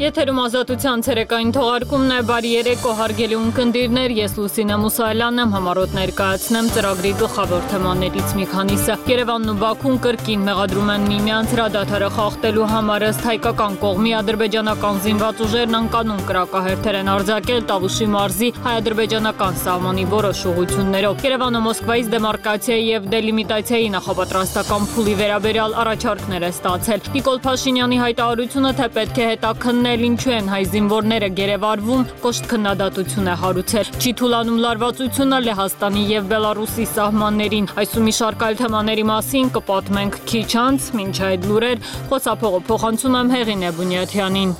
Եթերում ազատության ցերեկային թողարկումն է, բարի երեկո հարգելի ունկնդիրներ, ես Լուսինե Մուսայելյանն եմ, համառոտ ներկայացնեմ ծրագրի գլխավոր թեմաներից մի քանիսը։ Երևանն ու Բաքուն կրկին մեղադրում են միմյանց հրադադարը խախտելու համար, ըստ հայկական կողմի ադրբեջանական զինված ուժերն անկանոն կրակահերթեր են արձակել Տավուշի մարզի հայ-ադրբեջանական սահմանի որոշ ուղղություններով։ Երևանը Մոսկվայից դեմարկացիայի եւ դելիմիտացիայի նախապատրաստական փուլի վերաբերյալ առաջարկներ է ստացել։ Նիկոլ Փաշինյանի հայտարարությունը, թե պետք է հետաքննել ինչու են հայ զինվորները գերեվարվում, կոշտ քննադատություն է հարուցել։ Չի թուլանում լարվածությունը Լեհաստանի եւ Բելարուսի սահմաններին։ Այս ու մի շարք այլ թեմաների մասին կպատմենք քիչ անց, մինչ այդ լուրեր խոսափողը փոխանցում եմ Հեղինե Բունյաթյանին։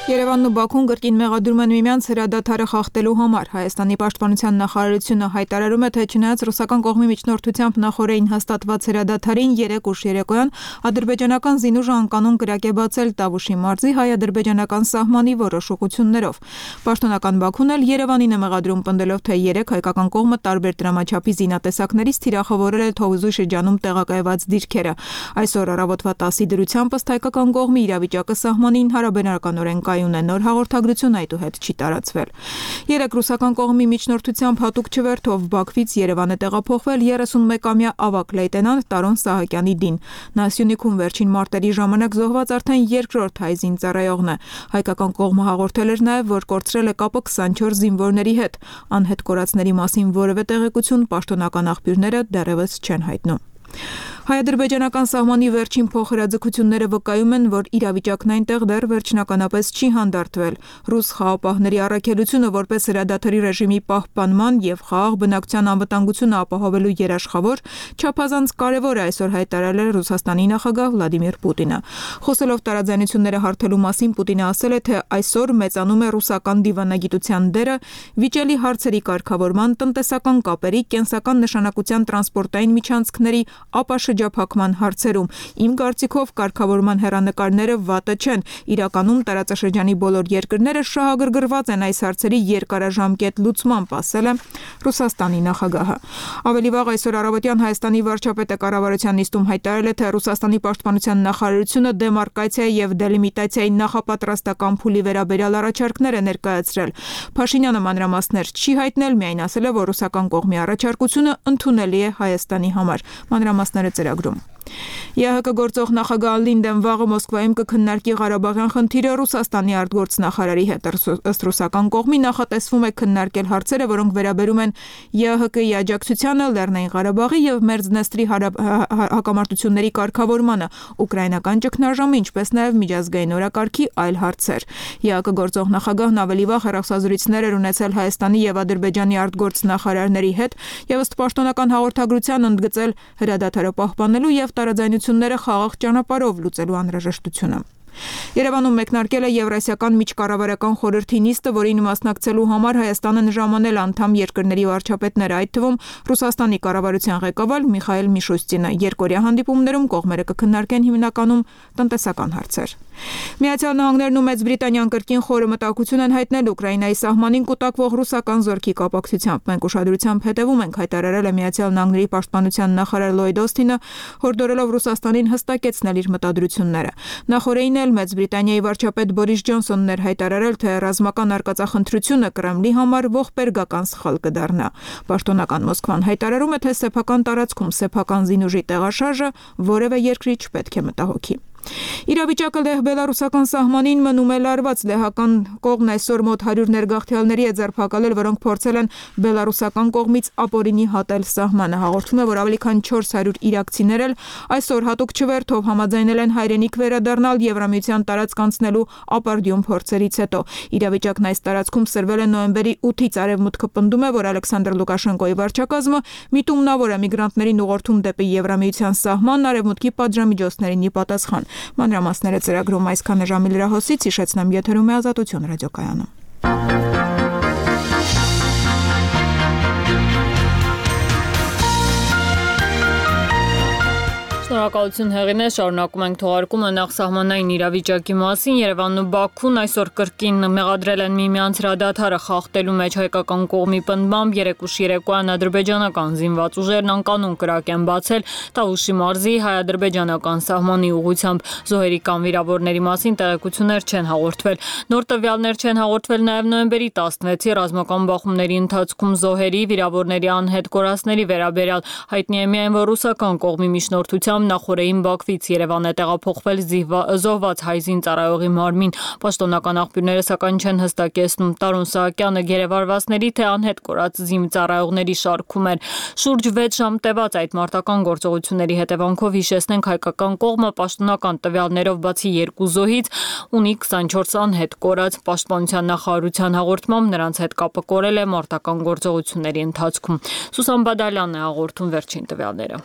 Երևանն ու Բաքուն կրկին մեղադրում են միմյանց հրադադարը խախտելու համար։ Հայաստանի պաշտպանության նախարարությունը հայտարարում է, թե չնայած ռուսական կողմի միջնորդությամբ նախորդին հաստատված հրադադարին 3 ուշ երեկոյան ադրբեջանական զինուժը անկանոն կրակ է բացել Տավուշի մարզի հայ-ադրբեջանական սահմանի որոշ ուղղություններով։ Պաշտոնական Բաքուն էլ Երևանին է մեղադրում, պնդելով, թե 3 հայկական կողմը տարբեր դրամաչափի զինատեսակներից թիրախավորել է Թովուզի շրջանում տեղակայված դիրքերը։ Այսօր առավոտվա 10-ի դրությամբ ըստ հայկական կողմի իրավիճակը սահմանին հարաբերականորեն նոր հաղորդագրություն այդուհետ չի տարածվել։ 3 ռուսական կողմի միջնորդությամբ հատուկ չվերթով Բաքվից Երևան է տեղափոխվել 31-ամյա ավագ լեյտենանտ Տարոն Սահակյանի դին։ Նա Սյունիքում վերջին մարտերի ժամանակ զոհված արդեն երկրորդ հայ զինծառայողն է։ Հայկական կողմը հաղորդել էր նաև, որ կորցրել է կապը 24 զինվորների հետ։ Անհետ կորածների մասին որևէ տեղեկություն պաշտոնական աղբյուրները դեռևս չեն հայտնում։ Հայ-ադրբեջանական սահմանի վերջին փոխհրաձգությունները վկայում են, որ իրավիճակն այնտեղ դեռ վերջնականապես չի հանդարտվել։ Ռուս խաղապահների առաքելությունը որպես հրադադարի ռեժիմի պահպանման եւ խաղաղ բնակչության անվտանգությունը ապահովելու երաշխավոր չափազանց կարևոր է այսօր հայտարարել Ռուսաստանի նախագահ Վլադիմիր Պուտինը։ Խոսելով տարաձայնությունները հարթելու մասին, Պուտինը ասել է, թե այսօր մեծանում է ռուսական դիվանագիտության դերը վիճելի հարցերի կարգավորման, տնտեսական կապերի, կենսական նշանակության տրանսպորտային միջանցքների, շրջափակման հարցերում։ Իմ կարծիքով կարգավորման հեռանկարները վատը չեն։ Իրականում տարածաշրջանի բոլոր երկրները շահագրգռված են այս հարցերի երկարաժամկետ լուծմամբ, ասել է Ռուսաստանի նախագահը։ Ավելի վաղ այսօր առավոտյան Հայաստանի վարչապետը կառավարության նիստում հայտարարել է, թե Ռուսաստանի պաշտպանության նախարարությունը դեմարկացիայի եւ դելիմիտացիայի նախապատրաստական փուլի վերաբերյալ առաջարկներ է ներկայացրել։ Փաշինյանը մանրամասներ չի հայտնել, միայն ասել է, որ ռուսական կողմի առաջարկությունը ընդունելի է Հայաստանի համար։ Մանրամասները ծրագրում։ ԵԱՀԿ գործող նախագահ Լինդեն վաղը Մոսկվայում կքննարկի Ղարաբաղյան խնդիրը Ռուսաստանի արտգործնախարարի հետ։ Ըստ ռուսական կողմի նախատեսվում է քննարկել հարցերը, որոնք վերաբերում են ԵԱՀԿ-ի աջակցությանը Լեռնային Ղարաբաղի եւ Մերձնեստրի հակամարտությունների կարգավորմանը, ուկրաինական ճգնաժամը, ինչպես նաեւ միջազգային օրակարգի այլ հարցեր։ ԵԱՀԿ գործող նախագահն ավելի վաղ հեռախոսազրույցներ էր ունեցել Հայաստանի եւ Ադրբեջանի արտգործնախարարների հետ եւ ըստ պաշտոնական հաղորդագրության ընդգծել հրադադարը պահպանելու եւ տարաձայնությունները խաղաղ ճանապարհով լուծելու անհրաժեշտությունը։ Երևանում մեկնարկել է Եվրասիական միջկառավարական խորհրդի նիստը, որին մասնակցելու համար Հայաստանը ժամանել անդամ երկրների վարչապետները, այդ թվում Ռուսաստանի կառավարության ղեկավար Միխայել Միշուստինը։ Երկօրյա հանդիպումներում կողմերը կքննարկեն հիմնականում տնտեսական հարցեր։ Միացյալ Նահանգներն ու Մեծ Բրիտանիան կրկին խորը մտահոգություն են հայտնել Ուկրաինայի սահմանին կուտակվող ռուսական զորքի կապակցությամբ։ Մենք ուշադրությամբ հետևում ենք, հայտարարել է Միացյալ Նահանգների պաշտպանության նախարար Լոյդ Օսթինը, հորդորելով Ռուսաստանին հստակեցնել իր մտադրությունները։ Նախորդին Մեծ Բրիտանիայի վարչապետ Բորիս Ջոնսոնն էր հայտարարել, թե ռազմական արկածախնդրությունը Կրեմլի համար ողբերգական սխալ կդառնա։ Պաշտոնական Մոսկվան հայտարարում է, թե սեփական տարածքում սեփական զինուժի տեղաշարժը որևէ երկրի չպետք է մտահոգի։ Իրավիճակը Լեհ-Բելարուսական սահմանին մնում է լարված։ Լեհական կողմն այսօր մոտ 100 ներգաղթյալների է ձերբակալել, որոնք փորձել են բելարուսական կողմից ապօրինի հատել սահմանը։ Հաղորդվում է, որ ավելի քան 400 իրաքցիներ էլ այսօր հատուկ չվերթով համաձայնել են հայրենիք վերադառնալ Եվրամիության տարածք անցնելու ապարդյուն փորձերից հետո։ Իրավիճակն այս տարածքում սրվել է նոյեմբերի 8-ից արևմուտքը պնդում է, որ Ալեքսանդր Լուկաշենկոյի վարչակազմը միտումնավոր է միգրանտներին ուղղորդում դեպի Եվրամիության սահման արևմուտքի պատժամիջոցներին ի պատասխան։ Մանրամասները ծրագրում այսքան ժամի լրահոսից հիշեցնեմ, եթերում է Ազատություն ռադիոկայանը։ Շնորհակալ Շնորհակալություն Հեղինե, շարունակում ենք թողարկումը նախ սահմանային իրավիճակի մասին։ Երևանն ու Բաքուն այսօր կրկին մեղադրել են միմյանց հրադադարը խախտելու մեջ հայկական կողմի պնդմամբ 3 երեկոյան ադրբեջանական զինված ուժերն անկանոն կրակ են բացել Տավուշի մարզի հայ-ադրբեջանական սահմանի ուղղությամբ։ Զոհերի կամ վիրավորների մասին տեղեկություններ չեն հաղորդվել։ Նոր տվյալներ չեն հաղորդվել նաև նոյեմբերի 16-ի ռազմական բախումների ընթացքում զոհերի, վիրավորների անհետ կորածների վերաբերյալ։ Հայտնի է միայն, որ ռուսական կողմի միջնորդությամբ նախորդին Բաքվից Երևան է տեղափոխվել զոհված հայ զինծառայողի մարմին։ Պաշտոնական աղբյուրները սակայն չեն հստակեցնում Տարոն Սահակյանը գերեվարվածների թե անհետ կորած զինծառայողների շարքում էր։ Շուրջ 6 ժամ տևած այդ մարտական գործողությունների հետևանքով հիշեցնենք հայկական կողմը պաշտոնական տվյալներով բացի 2 զոհից ունի 24 անհետ կորած։ Պաշտպանության նախարարության հաղորդմամբ նրանց հետ կապը կորել է մարտական գործողությունների ընթացքում։ Սուսան Բադալյանն է հաղորդում վերջին տվյալները։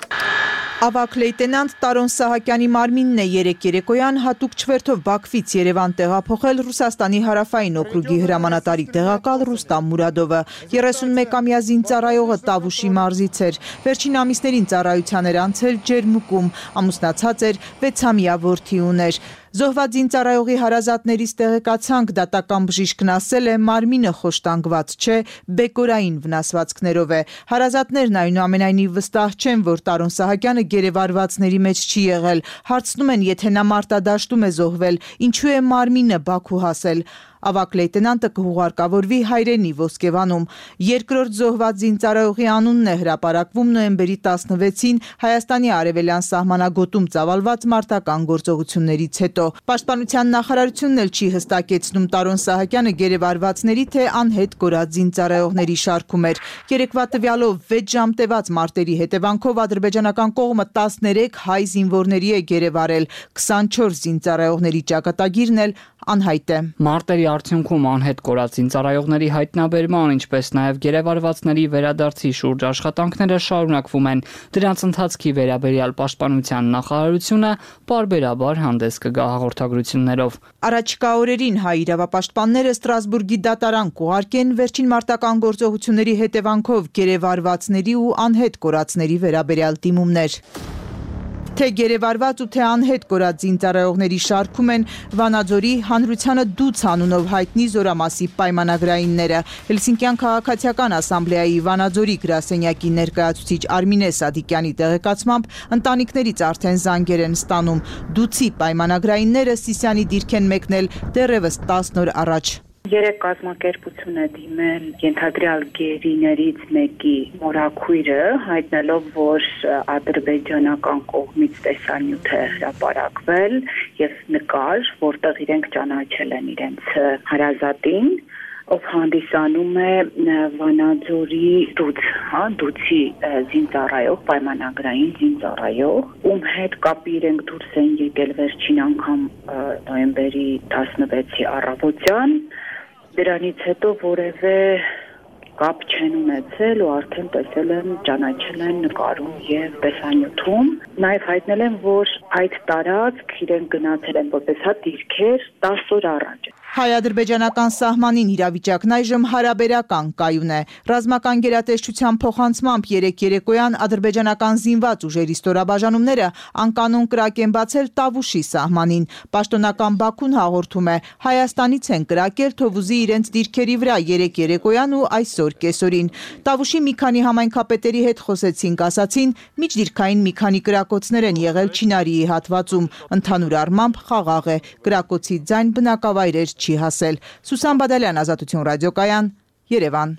Ավագ լեյտենանտ Տարոն Սահակյանի մարմինն է երեկոյան հատուկ չվերթով Բաքվից Երևան տեղափոխել Ռուսաստանի հարավային օկրուգի հրամանատարի տեղակալ Ռուստամ Մուրադովը։ 31-ամյա զինծառայողը Տավուշի մարզից էր։ Վերջին ամիսներին ծառայության էր անցել Ջերմուկում, ամուսնացած էր, 6-ամյա որդի ուներ։ Զոհված զինծառայողի հարազատներից տեղեկացանք, դատական բժիշկն ասել է, մարմինը խոշտանգված չէ, բեկորային վնասվածքներով է։ Հարազատներն այնուամենայնիվ վստահ չեն, որ Տարոն Սահակյանը գերեվարվածների մեջ չի եղել։ Հարցնում են, եթե նա մարտադաշտում է զոհվել, ինչու է մարմինը Բաքու հասել։ Ավագ լեյտենանտը կհուղարկավորվի հայրենի Ոսկեվանում։ Երկրորդ զոհված զինծառայողի անունն է հրապարակվում նոյեմբերի 16-ին Հայաստանի արևելյան սահմանագոտում ծավալված մարտական գործողություններից հետո։ Պաշտպանության նախարարությունն էլ չի հստակեցնում Տարոն Սահակյանը գերեվարվածների թե անհետ կորած զինծառայողների շարքում էր։ Երեկվա տվյալով 6 ժամ տևած մարտերի հետևանքով ադրբեջանական կողմը 13 հայ զինվորների է գերեվարել, 24 զինծառայողների ճակատագիրն էլ անհայտ է։ Մարտերի արդյունքում անհետ կորած զինծառայողների հայտնաբերման, ինչպես նաև գերեվարվածների վերադարձի շուրջ աշխատանքները շարունակվում են։ Դրանց ընթացքի վերաբերյալ պաշտպանության նախարարությունը պարբերաբար հանդես կգա հաղորդագրություններով։ Առաջիկա օրերին հայ իրավապաշտպանները Ստրասբուրգի դատարան կուղարկեն վերջին մարտական գործողությունների հետևանքով գերեվարվածների ու անհետ կորածների վերաբերյալ դիմումներ։ Թե գերեվարված ու թե անհետ կորած զինծառայողների շարքում են Վանաձորի հանրությանը դուց անունով հայտնի զորամասի պայմանագրայինները։ Հելսինկյան քաղաքացիական ասամբլեայի Վանաձորի գրասենյակի ներկայացուցիչ Արմինե Սադիկյանի տեղեկացմամբ ընտանիքներից արդեն զանգեր են ստանում։ Դուցի պայմանագրայինները Սիսիանի դիրք են մեկնել դեռևս 10 օր առաջ։ 3 կազմակերպություն է դիմել ենթադրյալ գերիներից մեկի մորաքույրը, հայտնելով, որ ադրբեջանական կողմից տեսանյութ է հրապարակվել եւ նկար, որտեղ իրենք ճանաչել են իրենց հարազատին, ով հանդիսանում է Վանաձորի դուցի զինծառայող, պայմանագրային զինծառայող, ում հետ կապի իրենք դուրս են եկել վերջին անգամ նոյեմբերի 16-ի առավոտյան։ Դրանից հետո որևէ կապ չեն ունեցել ու արդեն տեսել են, ճանաչել են նկարում եւ տեսանյութում։ Նաեւ հայտնել են, որ այդ տարածք իրենք գնացել են որպես դիրքեր 10 օր առաջ։ Հայ-ադրբեջանական սահմանին իրավիճակն այժմ հարաբերական կայուն է։ Ռազմական գերատեսչության փոխանցմամբ երեկոյան ադրբեջանական զինված ուժերի ստորաբաժանումները անկանոն կրակ են բացել Տավուշի սահմանին։ Պաշտոնական Բաքուն հաղորդում է, Հայաստանից են կրակել Թովուզի իրենց դիրքերի վրա երեկոյան ու այսօր կեսօրին։ Տավուշի մի քանի համայնքապետերի հետ խոսեցինք, ասացին, միջդիրքային մի քանի կրակոցներ են եղել Չինարիի հատվածում։ Ընդհանուր առմամբ խաղաղ է։ Կրակոցի ձայն բնակավայրեր չի հասել։ Սուսան Բադալյան, Ազատություն ռադիոկայան, Երևան։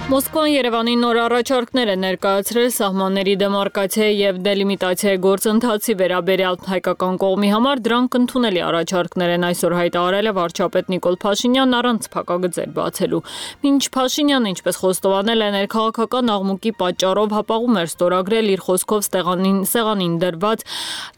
Մոսկվան Երևանի նոր առաջարկներ է ներկայացրել սահմանների դեմարկացիայի եւ դելիմիտացիայի գործընթացի վերաբերյալ հայկական կողմի համար դրանք ընդունելի առաջարկներ են այսօր հայտարարել է վարչապետ Նիկոլ Փաշինյանն առանց փակագծեր բացելու։ Մինչ Փաշինյանը, ինչպես խոստովանել է, ներքաղաքական աղմուկի պատճառով հապաղում էր ստորագրել իր խոսքով սեղանին դրված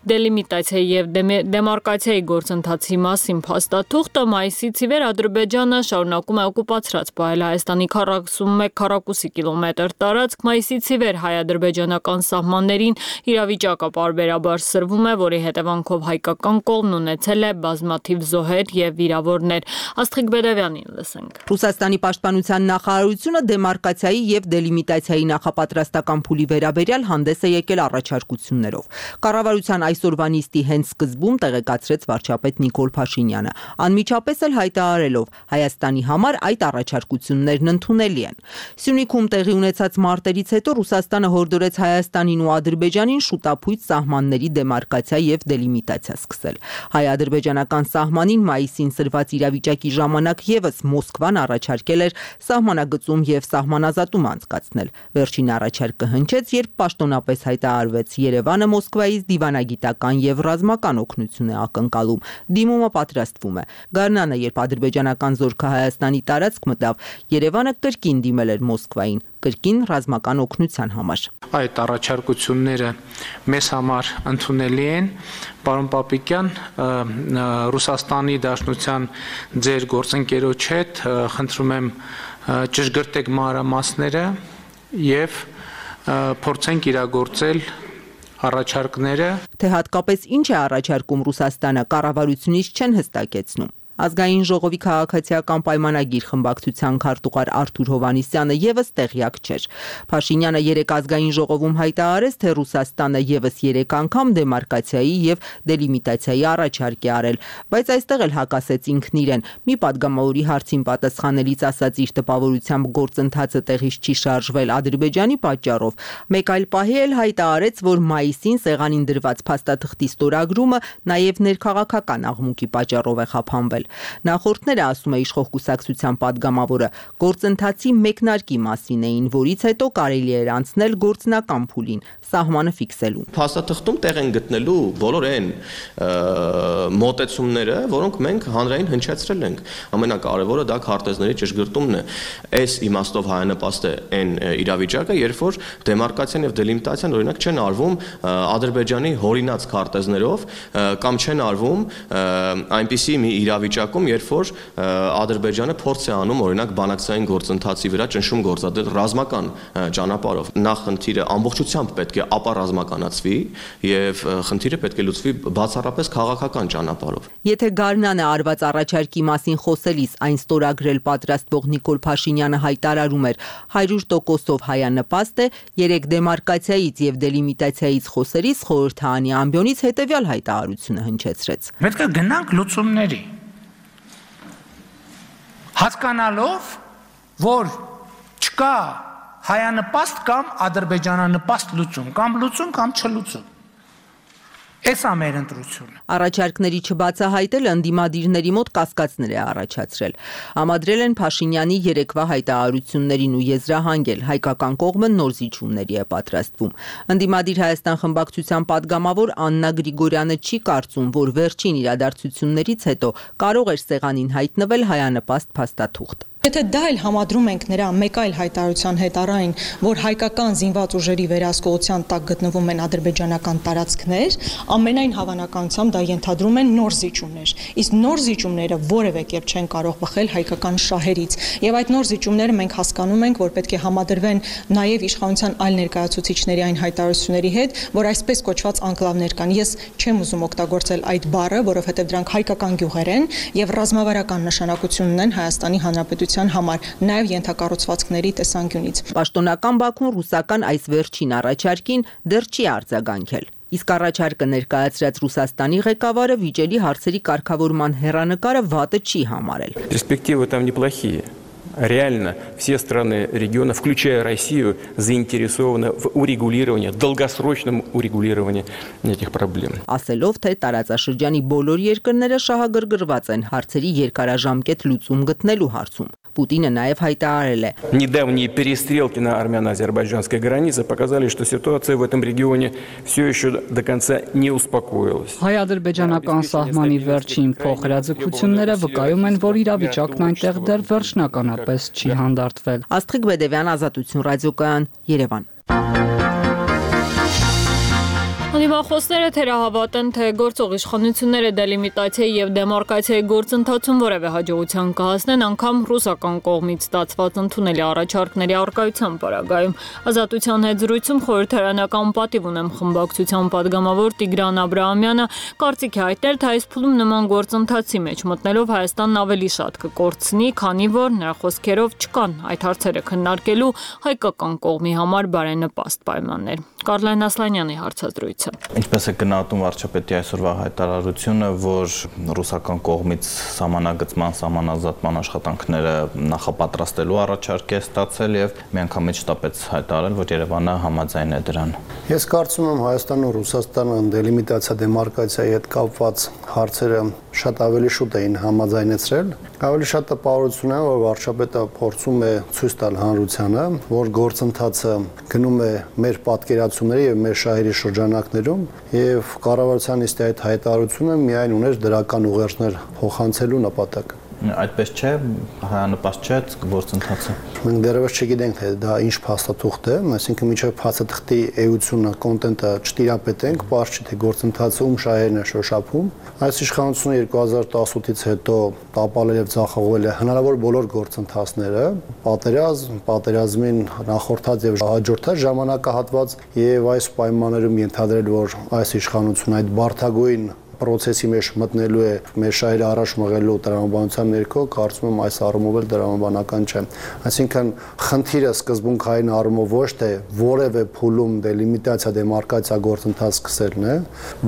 դելիմիտացիայի եւ դեմարկացիայի գործընթացի մասին փաստաթուղթը մայիսից ի վեր Ադրբեջանը շարունակում է օկուպացրած պահել Հայաստանի 41 քառակուսի կիլոմետր տարածք, մայիսից ի վեր հայ-ադրբեջանական սահմաններին իրավիճակը պարբերաբար սրվում է, որի հետևանքով հայկական կողմն ունեցել է բազմաթիվ զոհեր եւ վիրավորներ։ Աստղիկ Բեդևյանին լսենք։ Ռուսաստանի պաշտպանության նախարարությունը դեմարկացիայի եւ դելիմիտացիայի նախապատրաստական փուլի վերաբերյալ հանդես է եկել առաջարկություններով։ Կառավարության այսօրվա նիստի հենց սկզբում տեղեկացրեց վարչապետ Նիկոլ Փաշինյանը, անմիջապես էլ հայտարարելով Հայաստանի համար այդ առաջարկություններն ընդունելի են։ Սյունիքում տեղի ունեցած մարտերից հետո Ռուսաստանը հորդորեց Հայաստանին ու Ադրբեջանին շուտապույտ սահմանների դեմարկացիա եւ դելիմիտացիա սկսել։ Հայ-ադրբեջանական սահմանին մայիսին սրված իրավիճակի ժամանակ եւս Մոսկվան առաջարկել էր սահմանագծում եւ սահմանազատում անցկացնել։ Վերջին առաջարկը հնչեց, երբ պաշտոնապես հայտարարվեց Երևանը Մոսկվայից դիվանագիտական եւ ռազմական օգնություն է ակնկալում։ Դիմումը պատրաստվում է։ Գարնանը, երբ ադրբեջանական զորքը Հայաստանի տարածք մտավ, Երևանը կրկին դիմել էր Մոսկվային, կրկին ռազմական օգնության համար։ Այդ առաջարկությունները մեզ համար ընդունելի են։ Պարոն Պապիկյան, Ռուսաստանի Դաշնության ձեր գործընկերոջ հետ խնդրում եմ ճշգրտեք մանրամասները եւ փորձենք իրագործել առաջարկները։ Թե հատկապես ինչ է առաջարկում Ռուսաստանը, կառավարությունից չեն հստակեցնում։ Ազգային ժողովի քաղաքացիական պայմանագիր խմբակցության քարտուղար Արթուր Հովհաննիսյանը եւս տեղյակ չէր։ Փաշինյանը երեք ազգային ժողովում հայտարարեց, թե Ռուսաստանը եւս 3 անգամ դեմարկացիայի եւ դելիմիտացիայի առաջարկ է արել, բայց այստեղ էլ հակասեց ինքն իրեն։ Մի падգամավորի հարցին պատասխանելիս ասաց, իր տպավորությամբ գործընթացը տեղից չի շարժվել Ադրբեջանի պատճառով։ Մեկ այլ պահի էլ հայտարարեց, որ մայիսին սեղանին դրված փաստաթղթի ստորագրումը նաեւ ներքաղաքական աղմուկի պատճառով է խափանվել։ Նախորդները, ասում է իշխող կուսակցության падգամավորը, գործընթացի մեկնարկի մասին էին, որից հետո կարելի էր անցնել գործնական փուլին, սահմանը ֆիքսելու։ Փաստաթղթում տեղ են գտնելու բոլոր այն մոտեցումները, որոնք մենք հանրային հնչեցրել ենք։ Ամենակարևորը դա քարտեզների ճշգրտումն է։ Այս իմաստով հայանպաստ է այն իրավիճակը, երբ որ դեմարկացիան եւ դելիմիտացիան օրինակ չեն արվում Ադրբեջանի հորինած քարտեզներով կամ չեն արվում այնպիսի մի իրավիճակում, երբ որ Ադրբեջանը փորձ է անում օրինակ բանակցային գործընթացի վրա ճնշում գործադրել ռազմական ճանապարհով։ Նախ խնդիրը ամբողջությամբ պետք է ապառազմականացվի եւ խնդիրը պետք է լուծվի բացառապես քաղաքական ճանապարհով։ Եթե Գարնանը արված առաջարկի մասին խոսելիս այն ստորագրել պատրաստվող Նիկոլ Փաշինյանը հայտարարում էր 100%-ով հայանպաստ է, 3 դեմարկացիայից եւ դելիմիտացիայից խոսելիս խորհրդարանի ամբիոնից հետեւյալ հայտարարությունը հնչեցրեց։ Պետք է գնանք լուծումների։ Հասկանալով, որ չկա հայանպաստ կամ ադրբեջանանպաստ լուծում, կամ լուծում կամ չլուծում։ Էս է մեր ընտրությունը։ Առաջարկների չբացահայտել ընդդիմադիրների մոտ կասկածներ է առաջացրել։ Համադրել են Փաշինյանի երեկվա հայտարարություններին ու եզրահանգել, հայկական կողմը նոր զիջումների է պատրաստվում։ Ընդդիմադիր Հայաստան խմբակցության падգամավոր Աննա Գրիգորյանը չի կարծում, որ վերջին իրադարձություններից հետո կարող էր սեղանին հայտնվել հայանպաստ փաստաթուղթ։ Եթե դա էլ համադրում ենք նրա մեկ այլ հայտարարության հետ առայն, որ հայկական զինված ուժերի վերահսկողության տակ գտնվում են ադրբեջանական տարածքներ, ամենայն հավանականությամբ դա ենթադրում են նոր զիջումներ։ Իսկ նոր զիջումները որևէ կերպ չեն կարող բխել հայկական շահերից։ Եվ այդ նոր զիջումները մենք հասկանում ենք, որ պետք է համադրվեն նաև իշխանության այլ ներկայացուցիչների այն հայտարարությունների հետ, որ այսպես կոչված անկլավներ կան։ Ես չեմ ուզում օգտագործել այդ բառը, որովհետև դրանք հայկական գյուղեր են եւ ռազմավարական նշանակություն ունեն Հայաստանի Հանրապետության համար, նաև ենթակառուցվածքների տեսանկյունից։ Պաշտոնական Բաքուն ռուսական այս վերջին առաջարկին դեռ չի արձագանքել։ Իսկ առաջարկը ներկայացրած Ռուսաստանի ղեկավարը վիճելի հարցերի կարգավորման հեռանկարը վատը չի համարել։ Перспективы там неплохие. Реально все страны региона, включая Россию, заинтересованы в урегулировании, долгосрочном урегулировании этих проблем. Ասելով, թե տարածաշրջանի բոլոր երկրները շահագրգռված են հարցերի երկարաժամկետ լուծում գտնելու հարցում։ Պուտինը նաև հայտարարել է. Недавние перестрелки на армяно-азербайджанской границе показали, что ситуация в этом регионе все еще до конца не успокоилась. Հայ-ադրբեջանական սահմանի վերջին փոխհրաձգությունները վկայում են, որ իրավիճակն այնտեղ դեռ վերջնականապես չի հանդարտվել։ Աստղիկ Բեդևյան, Ազատություն ռադիոկայան, Երևան։ Դիմախոսները թերահավատ են, թե գործող իշխանությունները դելիմիտացիայի եւ դեմարկացիայի գործընթացում որևէ հաջողության կհասնեն անգամ ռուսական կողմից ստացված ընդունելի առաջարկների առկայության պարագայում։ Ազատության հետ զրույցում խորհրդարանական պատիվ ունեմ խմբակցության падգամավոր Տիգրան Աբրահամյանը կարծիք է հայտնել, թե այս փուլում նման գործընթացի մեջ մտնելով Հայաստանն ավելի շատ կկորցնի, քանի որ նրա խոսքերով չկան այդ հարցերը քննարկելու հայկական կողմի համար բարենպաստ պայմաններ։ Կարլեն Ասլանյանի հարցազրույցը։ Ինչպես է գնահատում վարչապետի այսօրվա հայտարարությունը, որ ռուսական կողմից սահմանագծման, սահմանազատման աշխատանքները նախապատրաստելու առաջարկ է ստացել եւ միանգամից շտապեց հայտարարել, որ Երևանը համաձայն է դրան։ Ես կարծում եմ Հայաստանն ու Ռուսաստանը դելիմիտացիա դեմարկացիայի հետ կապված հարցերը շատ ավելի շուտ էին համաձայնեցրել։ Ավելի շատ տպավորություն է, որ վարչապետը փորձում է ցույց տալ հանրությանը, որ գործընթացը գնում է մեր պատկերացումների եւ մեր շահերի շրջանակներում եւ կառավարության նիստի այդ հայտարարությունը միայն ուներ դրական ուղերձներ փոխանցելու նպատակ։ Այդպես չէ, հայանպաստ չէ գործընթացը։ Մենք դեռևս չգիտենք, թե դա ինչ փաստաթուղթ է, այսինքն միջև փաստաթղթի էությունը, կոնտենտը չտիրապետենք, պարզ չի թե գործընթացը ում շահերն է շոշափում։ Այս իշխանությունը 2018-ից հետո տապալել եւ ձախողել է հնարավոր բոլոր գործընթացները, պատերազմին նախորդած եւ հաջորդած ժամանակահատված եւ այս պայմաններում ենթադրել, որ այս իշխանությունը այդ բարդագույն process-ի մեջ մտնելու է մեր շահերը առաջ մղելու տրամաբանության ներքո, կարծում եմ այս առումով էլ տրամաբանական չէ։ Այսինքն խնդիրը սկզբունքային առումով ոչ թե որևէ փուլում դելիմիտացիա դեմարկացիա գործընթաց սկսելն է,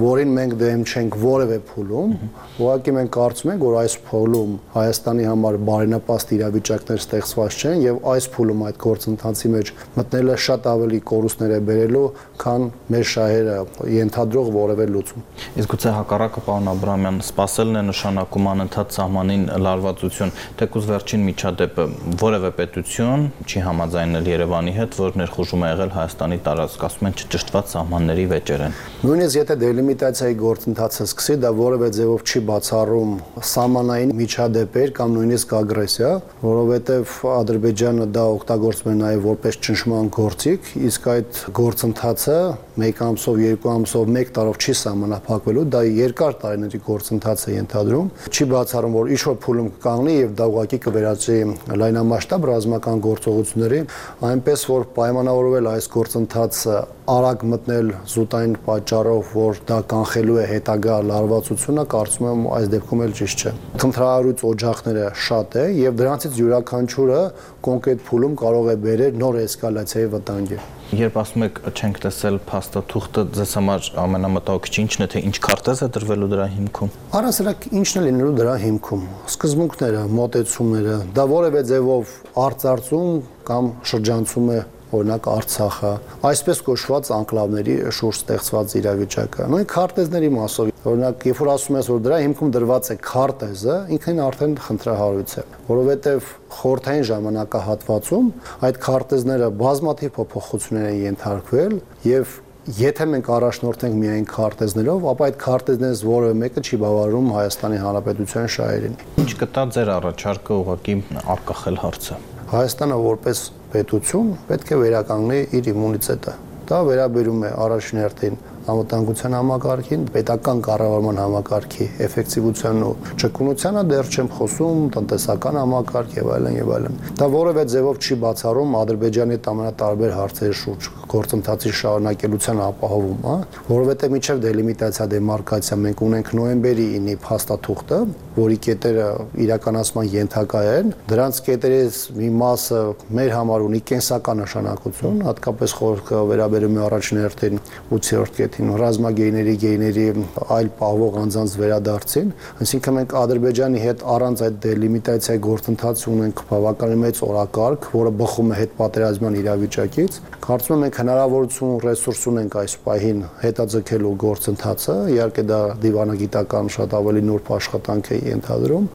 որին մենք դեմ չենք որևէ փուլում, ուղղակի մենք կարծում ենք, որ այս փուլում Հայաստանի համար բարենպաստ իրավիճակներ ստեղծված չեն եւ այս փուլում այդ գործընթացի մեջ մտնելը շատ ավելի կորուստներ է բերելու, քան մեր շահերը ենթադրող որևէ լուծում։ Իսկ գուցե հակառակը, պարոն Աբրահամյան, սպասելն է նշանակում անընդհատ սահմանին լարվածություն, թեկուզ վերջին միջադեպը որևէ պետություն չի համաձայնել Երևանի հետ, որ ներխուժում է եղել Հայաստանի տարածք, ասում են չճշտված սահմանների վեճեր են։ Նույնիսկ եթե դելիմիտացիայի գործընթացը սկսի, դա որևէ ձևով չի բացառում սահմանային միջադեպեր կամ նույնիսկ ագրեսիա, որովհետև Ադրբեջանը դա օգտագործում է նաև որպես ճնշման գործիք, իսկ այդ գործընթացը 1 ամսով, 2 ամսով, 1 տարով չի սահմանափակվելու, դա երկար տարիների գործընթաց է ենթադրում, չի բացառում, որ ինչ-որ փուլում կկանգնի եւ դա ուղղակի կվերածի լայնամասշտաբ ռազմական գործողությունների, այնպես որ պայմանավորվել այս գործընթացը արագ մտնել զուտային պատճառով, որ դա կանխելու է հետագա լարվածությունը, կարծում եմ այս դեպքում էլ ճիշտ չէ։ Խնդրահարույց օջախները շատ է եւ դրանցից յուրաքանչյուրը կոնկրետ փուլում կարող է բերել նոր էսկալացիայի վտանգի։ Երբ ասում եք չենք տեսել փաստաթուղթը, ձեզ համար ամենամտահոգիչը ինչն է, թե ինչ քարտեզ է դրվելու դրա հիմքում։ Առասարակ ինչն է լինելու դրա հիմքում։ Սկզբունքները, մոտեցումները, դա որևէ ձևով արծարծում կամ շրջանցում է օրինակ Արցախը, այսպես կոչված անկլավների շուրջ ստեղծված իրավիճակը։ Նույն քարտեզների մասով, օրինակ, երբ որ ասում ես, որ դրա հիմքում դրված է քարտեզը, ինքնին արդեն խնդրահարույց է, որովհետև խորհրդային ժամանակահատվածում այդ քարտեզները բազմաթիվ փոփոխություններ են ենթարկվել եւ եթե մենք առաջնորդենք միայն քարտեզներով, ապա այդ քարտեզներից որևէ մեկը չի բավարարում Հայաստանի Հանրապետության շահերին։ Ինչ կտա ձեր առաջարկը ուղղակի արկախել հարցը։ Հայաստանը որպես պետություն պետք է վերականգնի իր իմունիտետը։ Դա վերաբերում է առաջին հերթին անվտանգության համակարգին, պետական կառավարման համակարգի էֆեկտիվությանն ու ճկունությանը, դեռ չեմ խոսում տնտեսական համակարգ եւ այլն։ Դա որևէ ձևով չի բացառում Ադրբեջանի հետ ամենատարբեր հարցերի շուրջ գործընթացի շարունակելության ապահովումը, որովհետեւ միջև դելիմիտացիա դեմարկացիա մենք ունենք նոյեմբերի 9-ի փաստաթուղթը, որի կետերը իրականացման ենթակա են, դրանց կետերից մի մասը մեր համար ունի կենսական նշանակություն, հատկապես խորքը վերաբերում է առաջին հերթին 8-րդ կետին ռազմագերիների, գերիների այլ պահվող անձանց վերադարձին, այսինքն մենք Ադրբեջանի հետ առանց այդ դելիմիտացիայի գործընթացի ունենք բավականին մեծ օրակարգ, որը բխում է հետպատերազմյան իրավիճակից։ Կարծում եմ մենք հնարավորություն ու ռեսուրս ունենք այս պահին հետաձգելու գործընթացը, իհարկե դա դիվանագիտական շատ ավելի նուրբ աշխատանք է ենթադրում։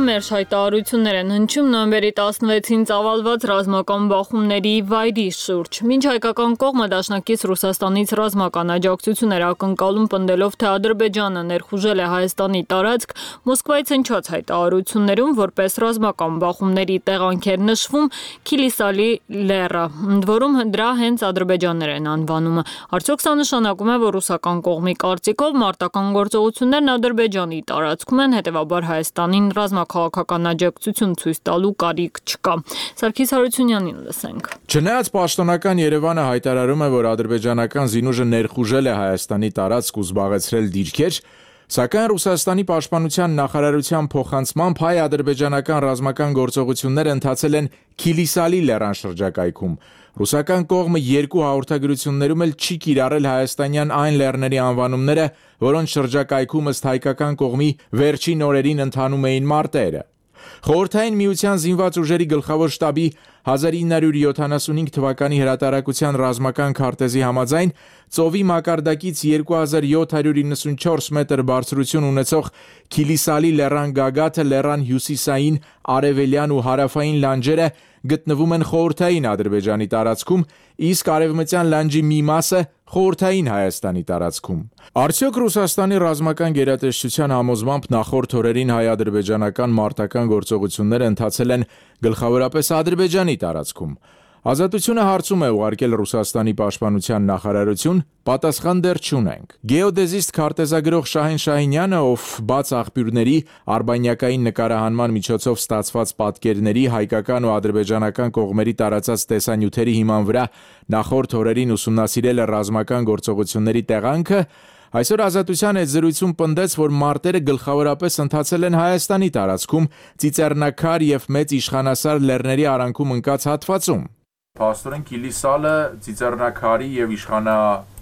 մեր հայտարարություններ են հնչում նոյեմբերի 16-ին ծավալված ռազմական բախումների վայրի շուրջ։ Մինչ հայկական կողմը դաշնակից Ռուսաստանից ռազմական աջակցություն էր ակնկալում պնդելով, թե Ադրբեջանը ներխուժել է Հայաստանի տարածք, Մոսկվայից հնչած հայտարարություններում որպես ռազմական բախումների տեղանք էր նշվում Քիլիսալի լեռը, ընդ որում դրա հենց ադրբեջաններ են անվանում։ Արդյոք սա նշանակում է, որ ռուսական կողմի կարծիքով մարտական գործողություններն Ադրբեջանի տարածքում են, հետևաբար Հայաստանին ռազմաքաղաքական աջակցություն ցույց տալու կարիք չկա։ Սարգիս Հարությունյանին լսենք։ Չնայած պաշտոնական Երևանը հայտարարում է, որ ադրբեջանական զինուժը ներխուժել է Հայաստանի տարածք ու զբաղեցրել դիրքեր, սակայն Ռուսաստանի պաշտպանության նախարարության փոխանցմամբ հայ-ադրբեջանական ռազմական գործողությունները ընթացել են Քիլիսալի լեռան շրջակայքում։ Ռուսական կողմը երկու հաղորդագրություններում էլ չի կիրառել հայաստանյան այն լեռների անվանումները, որոնց շրջակայքում ըստ հայկական կողմի վերջին օրերին ընթանում էին մարտերը։ Խորհրդային միության զինված ուժերի գլխավոր շտաբի 1975 թվականի հրատարակության ռազմական քարտեզի համաձայն ծովի մակարդակից 2794 մետր բարձրություն ունեցող Քիլիսալի լեռան գագաթը լեռան հյուսիսային, արևելյան ու հարավային լանջերը գտնվում են խորհրդային Ադրբեջանի տարածքում, իսկ արևմտյան լանջի մի մասը խորհրդային Հայաստանի տարածքում։ Արդյոք Ռուսաստանի ռազմական գերատեսչության համոզմամբ նախորդ օրերին հայ-ադրբեջանական մարտական գործողությունները ընթացել են գլխավորապես Ադրբեջանի տարածքում։ Ազատությունը հարցում է ուղարկել Ռուսաստանի պաշտպանության նախարարություն, պատասխան դեռ չունենք։ Գեոդեզիստ քարտեզագրող Շահեն Շահինյանը, ով բաց աղբյուրների արբանյակային նկարահանման միջոցով ստացված պատկերների հայկական ու ադրբեջանական կողմերի տարածած տեսանյութերի հիման վրա նախորդ օրերին ուսումնասիրել է ռազմական գործողությունների տեղանքը, այսօր Ազատության հետ զրույցում պնդեց, որ մարտերը գլխավորապես ընթացել են Հայաստանի տարածքում, Ծիծեռնակար եւ Մեծ Իշխանասար լեռների արանքում ընկած հատվածում։ Փաստորեն Քիլիսալը Ծիծեռնակարի եւ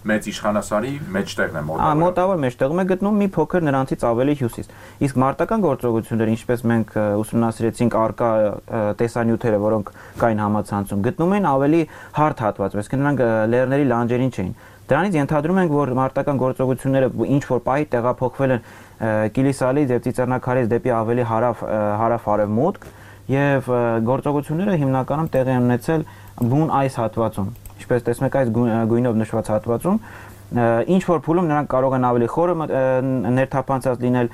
Մեծ Իշխանասարի մեջտեղն է մոտավորապես։ Մոտավոր մեջտեղում է գտնվում մի փոքր նրանցից ավելի հյուսիս։ Իսկ մարտական գործողությունները, ինչպես մենք ուսումնասիրեցինք արկա տեսանյութերը, որոնք կային համացանցում, գտնում են ավելի հարթ հատված, այսինքն նրանք լեռների լանջերին չէին։ Դրանից ենթադրում ենք, որ մարտական գործողությունները ինչ որ պահի տեղափոխվել են Քիլիսալից եւ Ծիծեռնակարից դեպի ավելի հարավ-արևմուտք եւ գործողությունները հիմնականում տեղի են ունեցել բուն այս հատվածում։ Ինչպես տեսնում եք, այս գույնով նշված հատվածում ինչ որ փուլում նրանք կարող են ավելի խորը ներթափանցած լինել,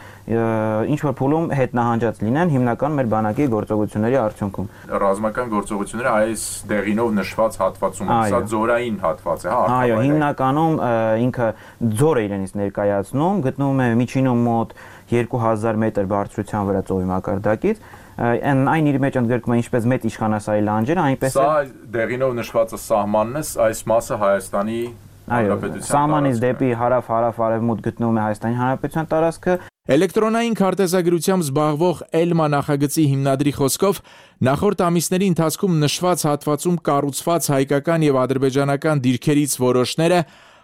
ինչ որ փուլում հետնահանջած լինեն, հիմնականում մեր բանակի գործողությունների արդյունքում։ Ռազմական գործողությունները այս դեղինով նշված հատվածում, սա ձորային հատված է, հա։ Այո, հիմնականում ինքը ձոր է իրենից ներկայացնում, գտնվում է միջինում մոտ 2000 մետր բարձրության վրա ծովի մակարդակից։ Այն իր մեջ ընդգրկում է ինչպես Մեծ Իշխանասարի լանջերը, այնպես Սա դեղինով նշվածը սահմանն է, այս մասը Հայաստանի Հանրապետության սահմանից դեպի հարավ-արևմուտք գտնվում է Հայաստանի Հանրապետության տարածքը։ Էլեկտրոնային քարտեզագրությամբ զբաղվող Էլմա նախագծի հիմնադրի խոսքով նախորդ ամիսների ընթացքում նշված հատվածում կառուցված հայկական եւ ադրբեջանական դիրքերից որոշները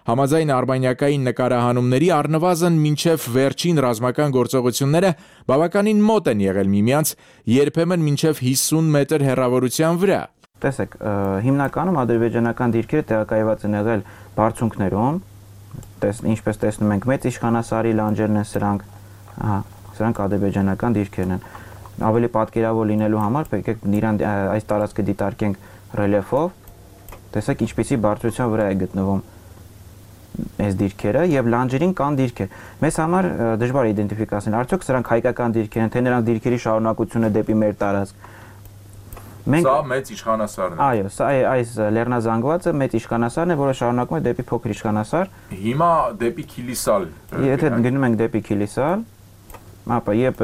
համաձայն արբանյակային նկարահանումների առնվազն մինչև վերջին ռազմական գործողությունները բավականին մոտ են եղել միմյանց, երբեմն մինչև 50 մետր հեռավորության վրա։ Տեսեք, հիմնականում ադրբեջանական դիրքերը տեղակայված են եղել բարձունքներում, ինչպես տեսնում ենք, Մեծ Իշխանասարի լանջերն են սրանք, սրանք ադրբեջանական դիրքերն են։ Ավելի պատկերավոր լինելու համար պետք է իրան այս տարածքը դիտարկենք ռելիեֆով, տեսեք ինչպիսի բարձրության վրա է գտնվում այս դիրքերը եւ լանջերին կան դիրքեր։ Մեզ համար դժվար է իդենտիֆիկացնել, արդյոք սրանք հայկական դիրքեր են, թե նրանք դիրքերի շարունակությունը դեպի մեր տարածք։ Սա Մեծ Իշխանասարն է։ Այո, սա այս լեռնազանգվածը Մեծ Իշխանասարն է, որը շարունակում է դեպի Փոքր Իշխանասար։ Հիմա դեպի Քիլիսալ։ Եթե գնում ենք դեպի Քիլիսալ, ապա երբ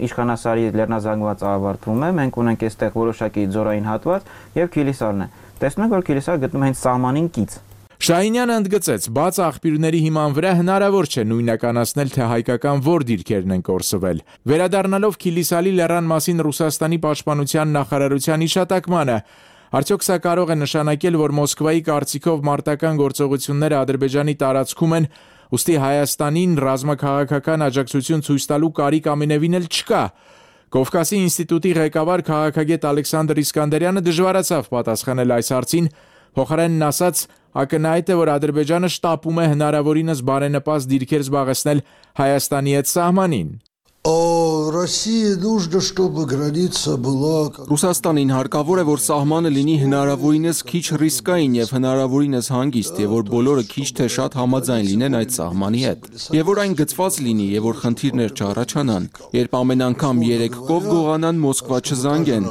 Իշխանասարի լեռնազանգվածը ավարտվում է, մենք ունենք այստեղ որոշակի ձորային հատված եւ Քիլիսալն է։ Տեսնում եք, որ Քիլիսալը գտնվում է հենց սահմանին կից։ Շահինյանը ընդգծեց, բաց աղբյուրների հիման վրա հնարավոր չէ նույնականացնել, թե հայկական որ դիրքերն են կորսվել։ Վերադառնալով Քիլիսալի լեռան մասին Ռուսաստանի պաշտպանության նախարարության հիշատակմանը, արդյոք սա կարող է նշանակել, որ Մոսկվայի կարծիքով մարտական գործողությունները Ադրբեջանի տարածքում են, ուստի Հայաստանին ռազմաքաղաքական աջակցություն ցույց տալու կարիք ամենևին էլ չկա։ Կովկասի ինստիտուտի ղեկավար քաղաքագետ Ալեքսանդր Իսկանդերյանը դժվարացավ պատասխանել այս հարցին, փոխարենն ասաց, ակնհայտ է, որ Ադրբեջանը շտապում է հնարավորինս բարենպաստ դիրքեր զբաղեցնել Հայաստանի հետ սահմանին։ Ռուսաստանին հարկավոր է, որ սահմանը լինի հնարավորինս քիչ ռիսկային եւ հնարավորինս հանգիստ, եւ որ բոլորը քիչ թե շատ համաձայն լինեն այդ սահմանի հետ, եւ որ այն գծված լինի եւ որ խնդիրներ չառաջանան։ Երբ ամեն անգամ 3 կով գողանան, Մոսկվա չզանգեն,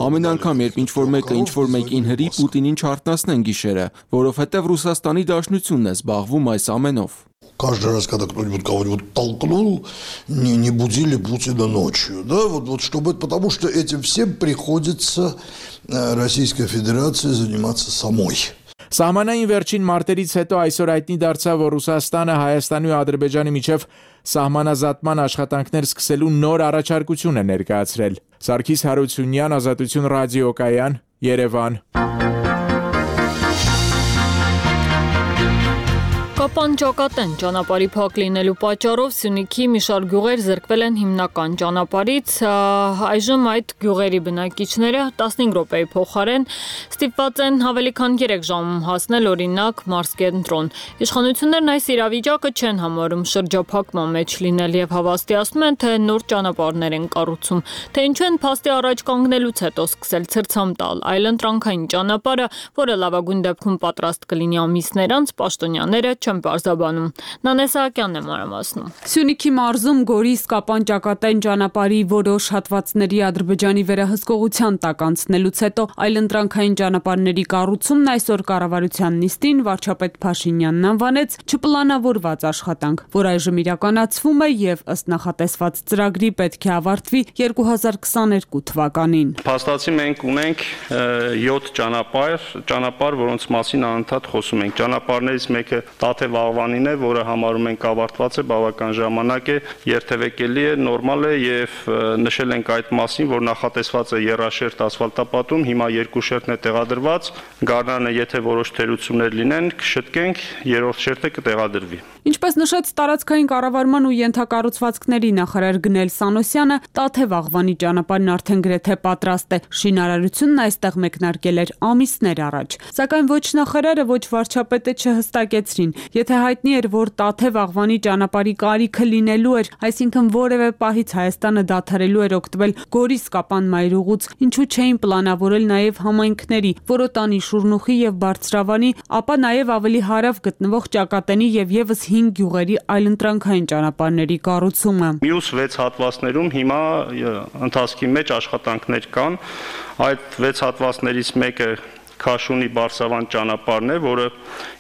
ամեն անգամ երբ ինչ-որ մեկը ինչ-որ մեկին հրի, Պուտինին չարտնասնեն գիշերը, որովհետեւ Ռուսաստանի Դաշնությունն է զբաղվում այս ամենով։ Каждый раз, когда кто-нибудь кого-нибудь толкнул, не будили Путина ночью. Да? Чтобы, потому что этим всем приходится Российской Федерации заниматься самой. Սահմանային վերջին մարտերից հետո այսօր հայտնի դարձավ, որ Ռուսաստանը Հայաստանի ու Ադրբեջանի միջև սահմանազատման աշխատանքներ սկսելու նոր առաջարկություն է ներկայացրել։ Սարգիս Հարությունյան, Ազատություն ռադիոկայան, Երևան։ Կապան ճակատեն ճանապարհի փակ լինելու պատճառով Սյունիքի մի շարք գյուղեր զրկվել են հիմնական ճանապարհից, այժմ այդ գյուղերի բնակիչները 15 րոպեի փոխարեն ստիպված են ավելի քան 3 ժամում հասնել օրինակ Մարզկենտրոն։ Իշխանություններն այս իրավիճակը չեն համարում շրջափակման մեջ լինել եւ հավաստիացնում են, թե նոր ճանապարհներ են կառուցում, թե ինչու են փաստի առաջ կանգնելուց հետո սկսել ցրցամ տալ այլընտրանքային ճանապարհը, որը լավագույն դեպքում պատրաստ կլինի ամիսներ անց, պաշտոնյաները Պարզաբանում։ Նանե Սահակյանն է մանրամասնում։ Սյունիքի մարզում Գորիս-Կապան ճակատային ճանապարհի որոշ հատվածների Ադրբեջանի վերահսկողության տակ անցնելուց հետո այլընտրանքային ճանապարհների կառուցումն այսօր կառավարության նիստին վարչապետ Փաշինյանն անվանեց չպլանավորված աշխատանք, որ այժմ իրականացվում է եւ ըստ նախատեսված ծրագրի պետք է ավարտվի 2022 թվականին։ Փաստացի մենք ունենք 7 ճանապարհ, որոնց մասին անընդհատ խոսում ենք։ Ճանապարհներից մեկը Տաթև Աղվանին է, որը համարում ենք ավարտված է, բավական ժամանակ է, երթևեկելի է, նորմալ է եւ նշել ենք այդ մասին, որ նախատեսված է եռաշերտ ասֆալտապատում, հիմա 2 շերտն է տեղադրված, գարնանը եթե որոշ թերություններ լինեն, կշտկենք, 3-րդ շերտը կտեղադրվի։ Ինչպես նշեց տարածքային կառավարման ու ենթակառուցվածքների նախարար Գնել Սանոսյանը, Տաթև Աղվանի ճանապարհն արդեն գրեթե պատրաստ է։ Շինարարությունն այստեղ մեկնարկել էր ամիսներ առաջ։ Սակայն ոչ նախարարը, ոչ վարչապետը չհստակեցրին, եթե հայտնի էր, որ Տաթև Աղվանի ճանապարհի կարիքը լինելու էր, այսինքն որևէ պահից Հայաստանը դադարելու էր օգտվել Գորիս-Կապան մայրուղուց, ինչու չէին պլանավորել նաև համայնքների, Որոտանի, Շուրնուխի եւ Բարձրավանի, ապա նաև ավելի հարավ գտնվող Ճակատենի եւ եւս 5 գյուղերի այլընտրանքային ճանապարհների կառուցումը։ Մյուս 6 հատվածներում հիմա ընթացքի մեջ աշխատանքներ կան, այդ 6 հատվածներից մեկը Քաշունի Բարսավան ճանապարհն է, որը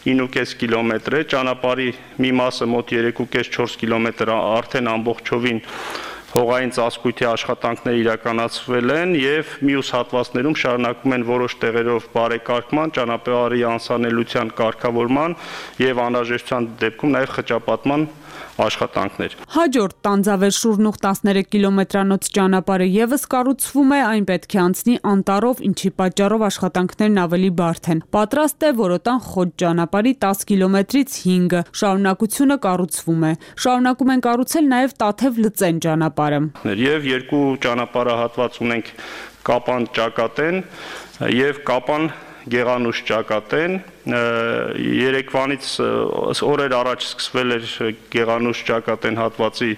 9.5 կիլոմետր է, ճանապարհի մի մասը մոտ 3.5-4 կիլոմետր արդեն ամբողջովին հողային ծածկույթի աշխատանքներ իրականացվել են եւ մյուս հատվածներում շարունակվում են որոշ տեղերով բարեկարգման, ճանապարհի անսանելիության կարգավորման եւ անհրաժեշտության դեպքում նաեւ խճապատման աշխատանքներ։ Հաջորդ Տանձավեր Շուրնուխ 13 կիլոմետրանոց ճանապարհը եւս կառուցվում է, այն պետք է անցնի անտառով, ինչի պատճառով աշխատանքներն ավելի բարդ են։ Պատրաստ է Որոտան Խոտ ճանապարհի 10 կիլոմետրից 5-ը, շարունակությունը կառուցվում է։ Շարունակում են կառուցել նաեւ Տաթև Լծեն ճանապարհը։ Եվ 2 ճանապարհահատված ունենք Կապան Ճակատեն եւ Կապան Գեղանուշ Ճակատեն, երեկվանից օրեր առաջ սկսվել էր Գեղանուշ Ճակատեն հատվածի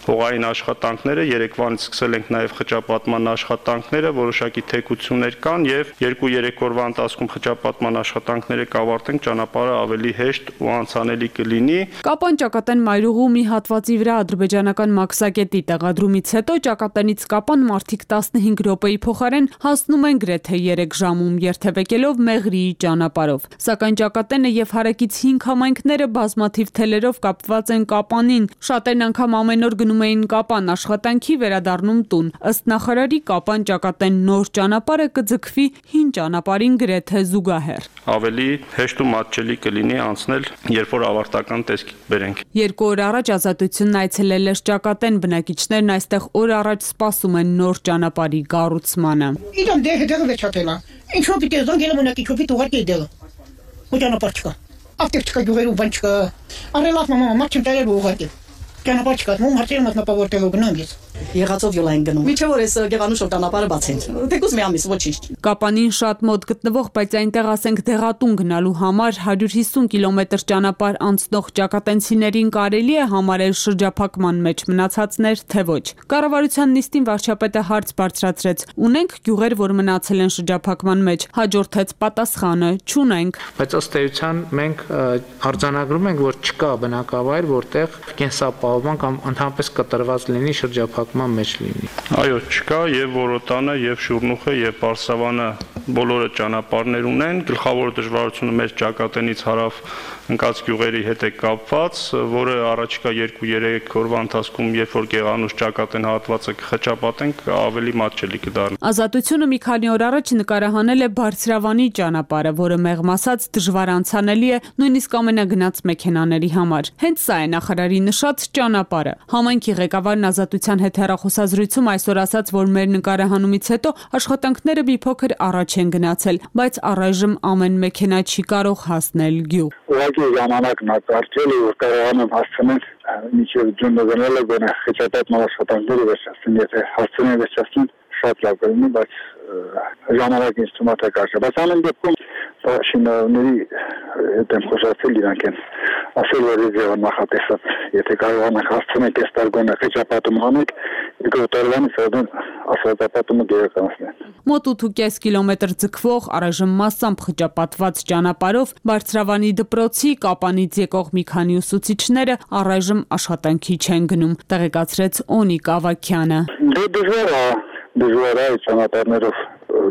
հողային աշխատանքները, երեկվանից սկսել ենք նաև խճապատման աշխատանքները, որոշակի թեքություններ կան եւ 2-3 օրվա ընթացքում խճապատման աշխատանքները կավարտենք, ճանապարհը ավելի հեշտ ու անցանելի կլինի։ Կապան Ճակատեն մայրուղու մի հատվածի վրա ադրբեջանական մաքսակետի տեղադրումից հետո Ճակատենից Կապան մարդիկ 15 րոպեի փոխարեն հասնում են գրեթե 3 ժամում երթևեկելով Մեղրիի ճանապարհով։ Սակայն Ճակատենը եւ հարակից 5 համայնքները բազմաթիվ թելերով կապված են Կապանին։ Շատերն անգամ ամեն օր գնում էին Կապան աշխատանքի, վերադառնում տուն։ Ըստ նախարարի Կապան Ճակատեն նոր ճանապարհը կձգվի հին ճանապարհին գրեթե զուգահեռ։ Ավելի հեշտ ու մատչելի կլինի անցնել, երբ որ ավարտական տեսք բերենք։ 2 օր առաջ Ազատությունն այցելել էր Ճակատեն, բնակիչներն այստեղ օր առաջ սպասում են նոր ճանապարհի կառուցմանը։ Ինչու՞ պիտի զանգել մոնակի չոփի ուղարկի դելը։ Ու ճանապարհ չկա։ Ապտեկ չկա, գյուղերում բան չկա։ Արելավ մամա, մարդ չեմ տարել ուղարկել։ Ճանապարհ չկա, ում հարցերը մատնապա որտեղ գնամ ես։ Եղածով յոլ են գնում։ Միջև որ էս Գևանուշով ճանապարհը բացեն։ Թեկուզ մի ամիս ոչինչ։ Կապանին շատ մոտ գտնվող, բայց այնտեղ ասենք դեղատուն գնալու համար 150 կիլոմետր ճանապարհ անցնող ճակատենցիներին կարելի է համարել շրջափակման մեջ մնացածներ, թե ոչ։ Կառավարության նիստին վարչապետը հարց բարձրացրեց. ունենք գյուղեր, որ մնացել են շրջափակման մեջ, հաջորդեց պատասխանը՝ չունենք։ Բայց ըստ էության մենք արձանագրում ենք, որ չկա բնակավայր, որտեղ կենսապահովման կամ ընդհանրապես կտրված լինի շրջափակման մեջ լինի։ Այո, չկա եւ Որոտանը, եւ Շուրնուխը, եւ Բարսավանը բոլորը ճանապարհներ ունեն, գլխավոր դժվարությունը մեր ճակատենից հարավ ընկած գյուղերի հետ է կապված, որը առաջիկա 2-3 օրվա ընթացքում, երբ որ Գեղանուշ ճակատեն հատվածը կխճապատենք, ավելի մատչելի կդառնա։ Ազատությունը մի քանի օր առաջ նկարահանել է Բարձրավանի ճանապարհը, որը մեղմ ասած դժվար անցանելի է նույնիսկ ամենագնաց մեքենաների համար։ Հենց սա է նախարարի նշած ճանապարհը։ Համայնքի ղեկավարն Ազատության հետ հեռախոսազրույցում այսօր ասաց, որ մեր նկարահանումից հետո աշխատանքները մի փոքր առաջ են գնացել, բայց առայժմ ամեն մեքենա չի կարող հասնել գյուղ։ Ուղղակի ժամանակն է կարճել, որ կարողանան հասցնել մինչև ջունը գնալը գոնե խճապատման աշխատանքները վերջացնեն, եթե հասցնեն վերջացնեն շատ լավ կլինի, բայց ժամանակին ինձ թվում է թե կարճ է, բայց ամեն դեպքում շինարարների հետ եմ խոսացել, իրանք են ասել, որ ձևը նախատեսած, եթե կարողանանք հասցնել այս տարգոնը խճապատում անենք, երկրորդ տարվանից արդեն ասֆալտապատումը գերականացնեն։ Մոտ 8.5 կիլոմետր ձգվող, առայժմ մասամբ խճապատված ճանապարհով Բարձրավանի դպրոցի Կապանից եկող մի քանի ուսուցիչները առայժմ աշխատանքի չեն գնում, տեղեկացրեց Օնիկ Ավագյանը։ Դժվար է ճանապարհներով,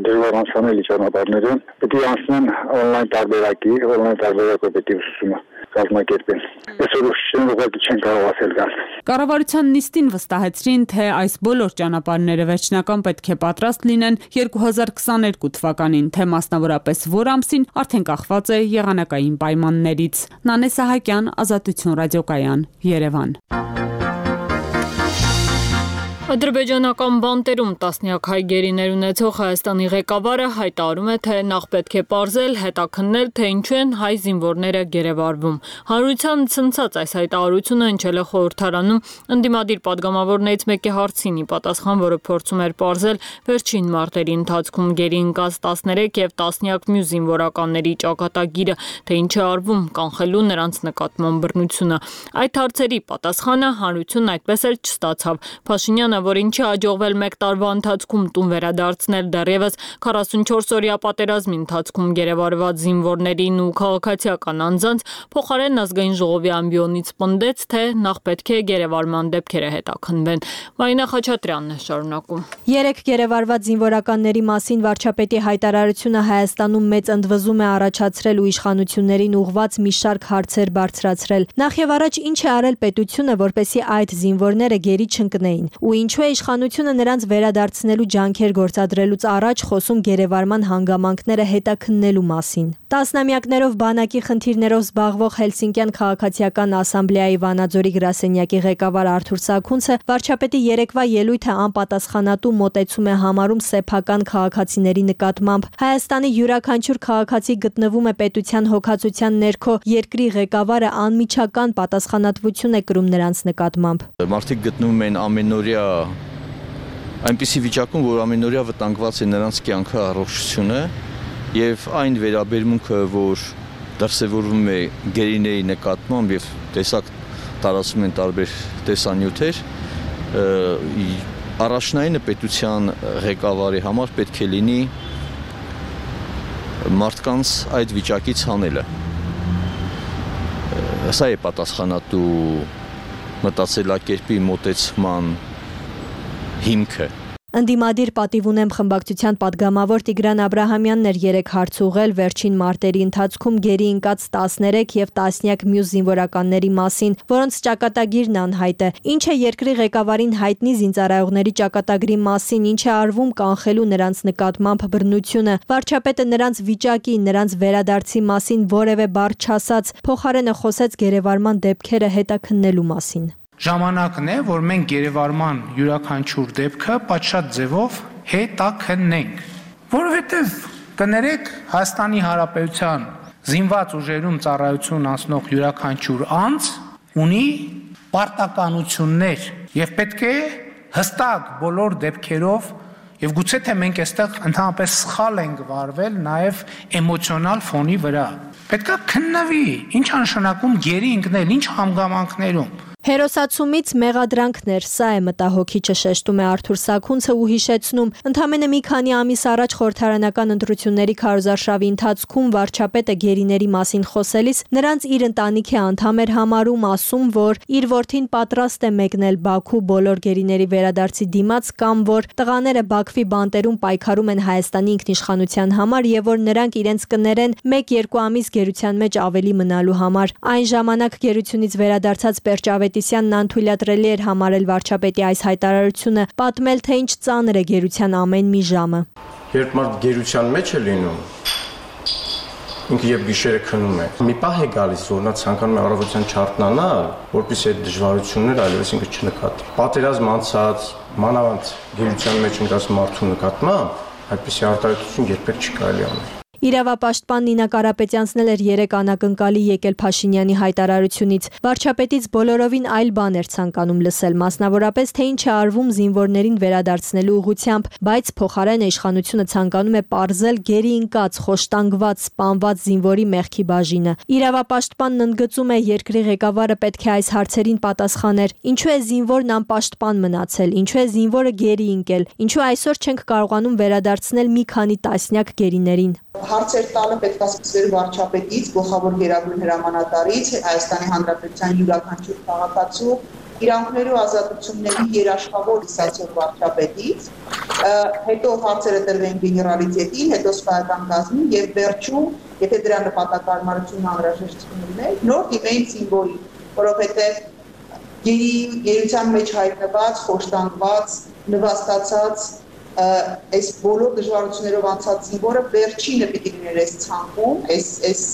դժվար անցանելի ճանապարհներով, պետք է անցնեն on-line տարբերակով պետք է ուսուցումը կազմակերպեն։ Այսօր ուսուցիչները ուղղակի չեն կարող ասել կան։ Կառավարության նիստին վստահեցրին, թե այս բոլոր ճանապարհները վերջնական պետք է պատրաստ լինեն 2022 թվականին, թե մասնավորապես որ ամսին արդեն կախված է եղանակային պայմաններից։ Նանե Սահակյան, Ազատություն ռադիոկայան, Երևան։ Ադրբեջանական բանտերում տասնյակ հայ գերիներ ունեցող Հայաստանի ղեկավարը հայտարարում է, թե նախ պետք է պարզել, հետաքննել, թե ինչու են հայ զինվորները գերեվարվում։ Հանրության ցնցած այս հայտարարությունը հնչել է խորհրդարանում ընդդիմադիր падգամավորներից մեկի հարցին ի պատասխան, որը փորձում էր պարզել վերջին մարտերի ընթացքում գերի ընկած 13 եւ տասնյակ մյուս զինվորականների ճակատագիրը, թե ինչ է արվում կանխելու նրանց նկատմամբ բռնությունը։ Այդ հարցերի պատասխանը հանրությունն այդպես էլ չստացավ։ Փաշինյանը, որ ինչի հաջողվել մեկ տարվա ընթացքում տուն վերադարձնել դեռևս 44-օրյա պատերազմի ընթացքում գերեվարված զինվորներին ու քաղաքացիական անձանց, փոխարեն ազգային ժողովի ամբիոնից պնդեց, թե նախ պետք է գերեվարման դեպքերը հետաքննվեն։ Մարինա Խաչատրյանն է շարունակում։ 3 գերեվարված զինվորականների մասին վարչապետի հայտարարությունը Հայաստանում մեծ ընդվզում է առաջացրել ու իշխանություններին ուղղված մի շարք հարցեր բարձրացրել։ Նախ եւ առաջ ինչ է արել պետությունը, որպեսզի այդ զինվորները գերի չընկնեին, ու ինչու է իշխանությունը նրանց վերադարձնելու ջանքեր գործադրելուց առաջ խոսում գերեվարման հանգամանքները հետաքննելու մասին։ Տասնամյակներով բանակի խնդիրներով զբաղվող Հելսինկյան քաղաքացիական ասամբլեայի Վանաձորի գրասենյակի ղեկավար Արթուր Սաքունցը վարչապետի երեկվա ելույթը անպատասխանատու մոտեցում է համարում սեփական քաղաքացիների նկատմամբ։ Հայաստանի յուրաքանչյուր քաղաքացի գտնվում է պետության հոգացության ներքո, երկրի ղեկավարը անմիջական պատասխանատվություն է կրում նրանց նկատմամբ։ Մարդիկ գտնվում են ամենօրյա այնպիսի վիճակում, որ ամենօրյա վտանգված է նրանց կյանքը, առողջությունը եւ այն վերաբերմունքը, որ դրսևորվում է գերիների նկատմամբ եւ տեսակ տարածում են տարբեր տեսանյութեր, առաջնայինը պետության ղեկավարի համար պետք է լինի մարդկանց այդ վիճակից հանելը։ Սա է պատասխանատու մտածելակերպի մոտեցման հիմքը։ Ընդդիմադիր պատիվ ունեմ խմբակցության падգամավոր Տիգրան Աբրահամյանն էր երեք հարց ուղղել վերջին մարտերի ընթացքում գերի ընկած 13 եւ տասնյակ մյուս զինվորականների մասին, որոնց ճակատագիրն անհայտ է։ Ինչ է երկրի ղեկավարին հայտնի զինծառայողների ճակատագրի մասին, ինչ է արվում կանխելու նրանց նկատմամբ բռնությունը։ Վարչապետը նրանց վիճակի, նրանց վերադարձի մասին որևէ բառ չասաց, փոխարենը խոսեց գերեվարման դեպքերը հետաքննելու մասին։ Ժամանակն է, որ մենք գերեվարման յուրաքանչյուր դեպքը պատշաճ ձևով հետաքննենք, որովհետև կներեք Հայաստանի Հանրապետության զինված ուժերում ծառայություն անցնող յուրաքանչյուր անձ ունի պարտականություններ եւ պետք է հստակ բոլոր դեպքերով եւ գուցե թե մենք այստեղ ընդհանրապես սխալ ենք վարվել նաեւ էմոցիոնալ ֆոնի վրա։ Պետք է քննվի, ինչ նշանակում գերի ընկնել, ինչ հանգամանքներում։ Հերոսացումից մեղադրանքներ, սա է մտահոգիչը, շեշտում է Արթուր Սաքունցը ու հիշեցնում, ընդամենը մի քանի ամիս առաջ խորհրդարանական ընտրությունների քարոզարշավի ընթացքում վարչապետը գերիների մասին խոսելիս նրանց իր ընտանիքի անդամ էր համարում, ասում, որ իր որդին պատրաստ է մեկնել Բաքու բոլոր գերիների վերադարձի դիմաց կամ որ տղաները Բաքվի բանտերում պայքարում են Հայաստանի ինքնիշխանության համար եւ որ նրանք իրենց կներեն 1-2 ամիս գերության մեջ ավելի մնալու համար։ Այն ժամանակ գերությունից վերադարձած Պերճ Ավետիսյանն անթույլատրելի էր համարել վարչապետի այս հայտարարությունը, պատմել, թե ինչ ծանր է գերության ամեն մի ժամը։ Երբ մարդ գերության մեջ է լինում, ինքը եւ գիշերը քնում է։ Մի պահ է գալիս, որ նա ցանկանում է առավոտյան չարթնանալ, որպեսզի այդ դժվարությունները այլևս ինքը չնկատի։ Պատերազմ անցած, մանավանդ գերության մեջ ընկած մարդու նկատմամբ այդպիսի արտահայտություն երբեք չի կարելի անել։ Իրավապաշտպան Նինա Կարապետյանցն էլ էր երեք անակնկալի եկել Փաշինյանի հայտարարությունից։ Վարչապետից բոլորովին այլ բան էր ցանկանում լսել, մասնավորապես թե ինչ է արվում զինվորներին վերադարձնելու ուղղությամբ, բայց փոխարենը իշխանությունը ցանկանում է պարզել գերի ընկած, խոշտանգված, սպանված զինվորի մեղքի բաժինը։ Իրավապաշտպանն ընդգծում է, երկրի ղեկավարը պետք է այս հարցերին պատասխաներ։ Ինչու է զինվորն անպաշտպան մնացել, ինչու է զինվորը գերի ընկել, ինչու այսօր չենք կարողանում վերադարձնել մի քանի տասնյակ գերիներին։ Հարցեր տալը պետք է սկսվեր վարչապետից, գլխավոր գերագույն հրամանատարից, Հայաստանի Հանրապետության յուրաքանչյուր քաղաքացու իրանքների ու ազատությունների երաշխավոր իսացող վարչապետից, հետո հարցերը տրվեն գեներալիտետին, հետո սպայական կազմին եւ վերջում, եթե դրա նպատակարարությունն անհրաժեշտություն ուներ, նոր դիմեին զինվորի, որովհետեւ գերության մեջ հայտնված, խոշտանգված, նվաստացած այս բոլոր դժվարություններով անցած զինվորը վերջինը պիտի լիներ այս ցանկում, այս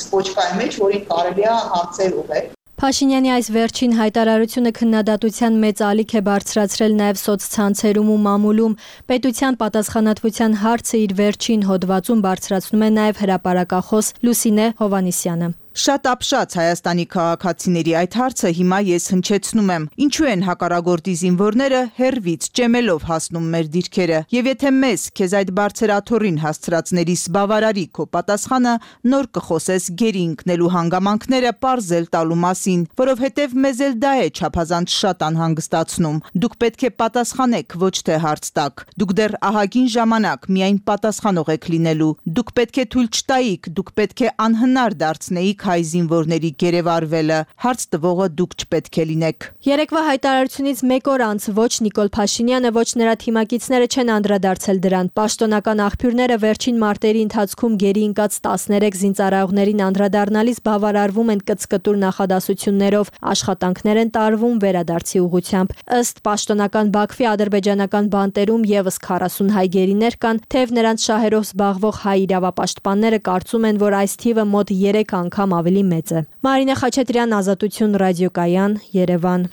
ցոչկայի մեջ, որին կարելի է հարցեր ուղղել։ Փաշինյանի այս վերջին հայտարարությունը քննադատության մեծ ալիք է բարձրացրել նաև սոցցանցերում ու մամուլում։ Պետության պատասխանատվության հարցը իր վերջին հոդվածում բարձրացնում է նաև հրապարակախոս Լուսինե Հովանիսյանը։ Շատ ապշած Հայաստանի քաղաքացիների այդ հարցը հիմա ես հնչեցնում եմ։ Ինչու են հակառակորդի զինվորները հերվից ճեմելով հասնում մեր դիրքերը։ Եվ եթե մեզ քեզ այդ բարձր աթոռին հասցրածներիս բավարարի քո պատասխանը, նոր կխոսես գերի ընկնելու հանգամանքները պարզել տալու մասին, որովհետև մեզ էլ դա է չափազանց շատ անհանգստացնում։ Դուք պետք է պատասխանեք, ոչ թե հարց տաք։ Դուք դեռ ահագին ժամանակ միայն պատասխանող եք լինելու։ Դուք պետք է թույլ չտայիք, դուք պետք է անհնար դարձնեիք հայ զինվորների գերեվարվելը, հարց տվողը դուք չպետք է լինեք։ Երեկվա հայտարարությունից մեկ օր անց ոչ Նիկոլ Փաշինյանը, ոչ նրա թիմակիցները չեն անդրադարձել դրան։ Պաշտոնական աղբյուրները վերջին մարտերի ընթացքում գերի ընկած 13 զինծառայողներին անդրադառնալիս բավարարվում են կծկտուր նախադասություններով, աշխատանքներ են տարվում վերադարձի ուղղությամբ։ Ըստ պաշտոնական Բաքվի ադրբեջանական բանտերում եւս 40 հայ գերիներ կան, թեև նրանց շահերով զբաղվող հայ իրավապաշտպանները կարծում են, որ այս թիվը մոտ 3 անգամ ավելի մեծ է։ Մարինե Խաչատրյան, Ազատություն ռադիոկայան, Երևան։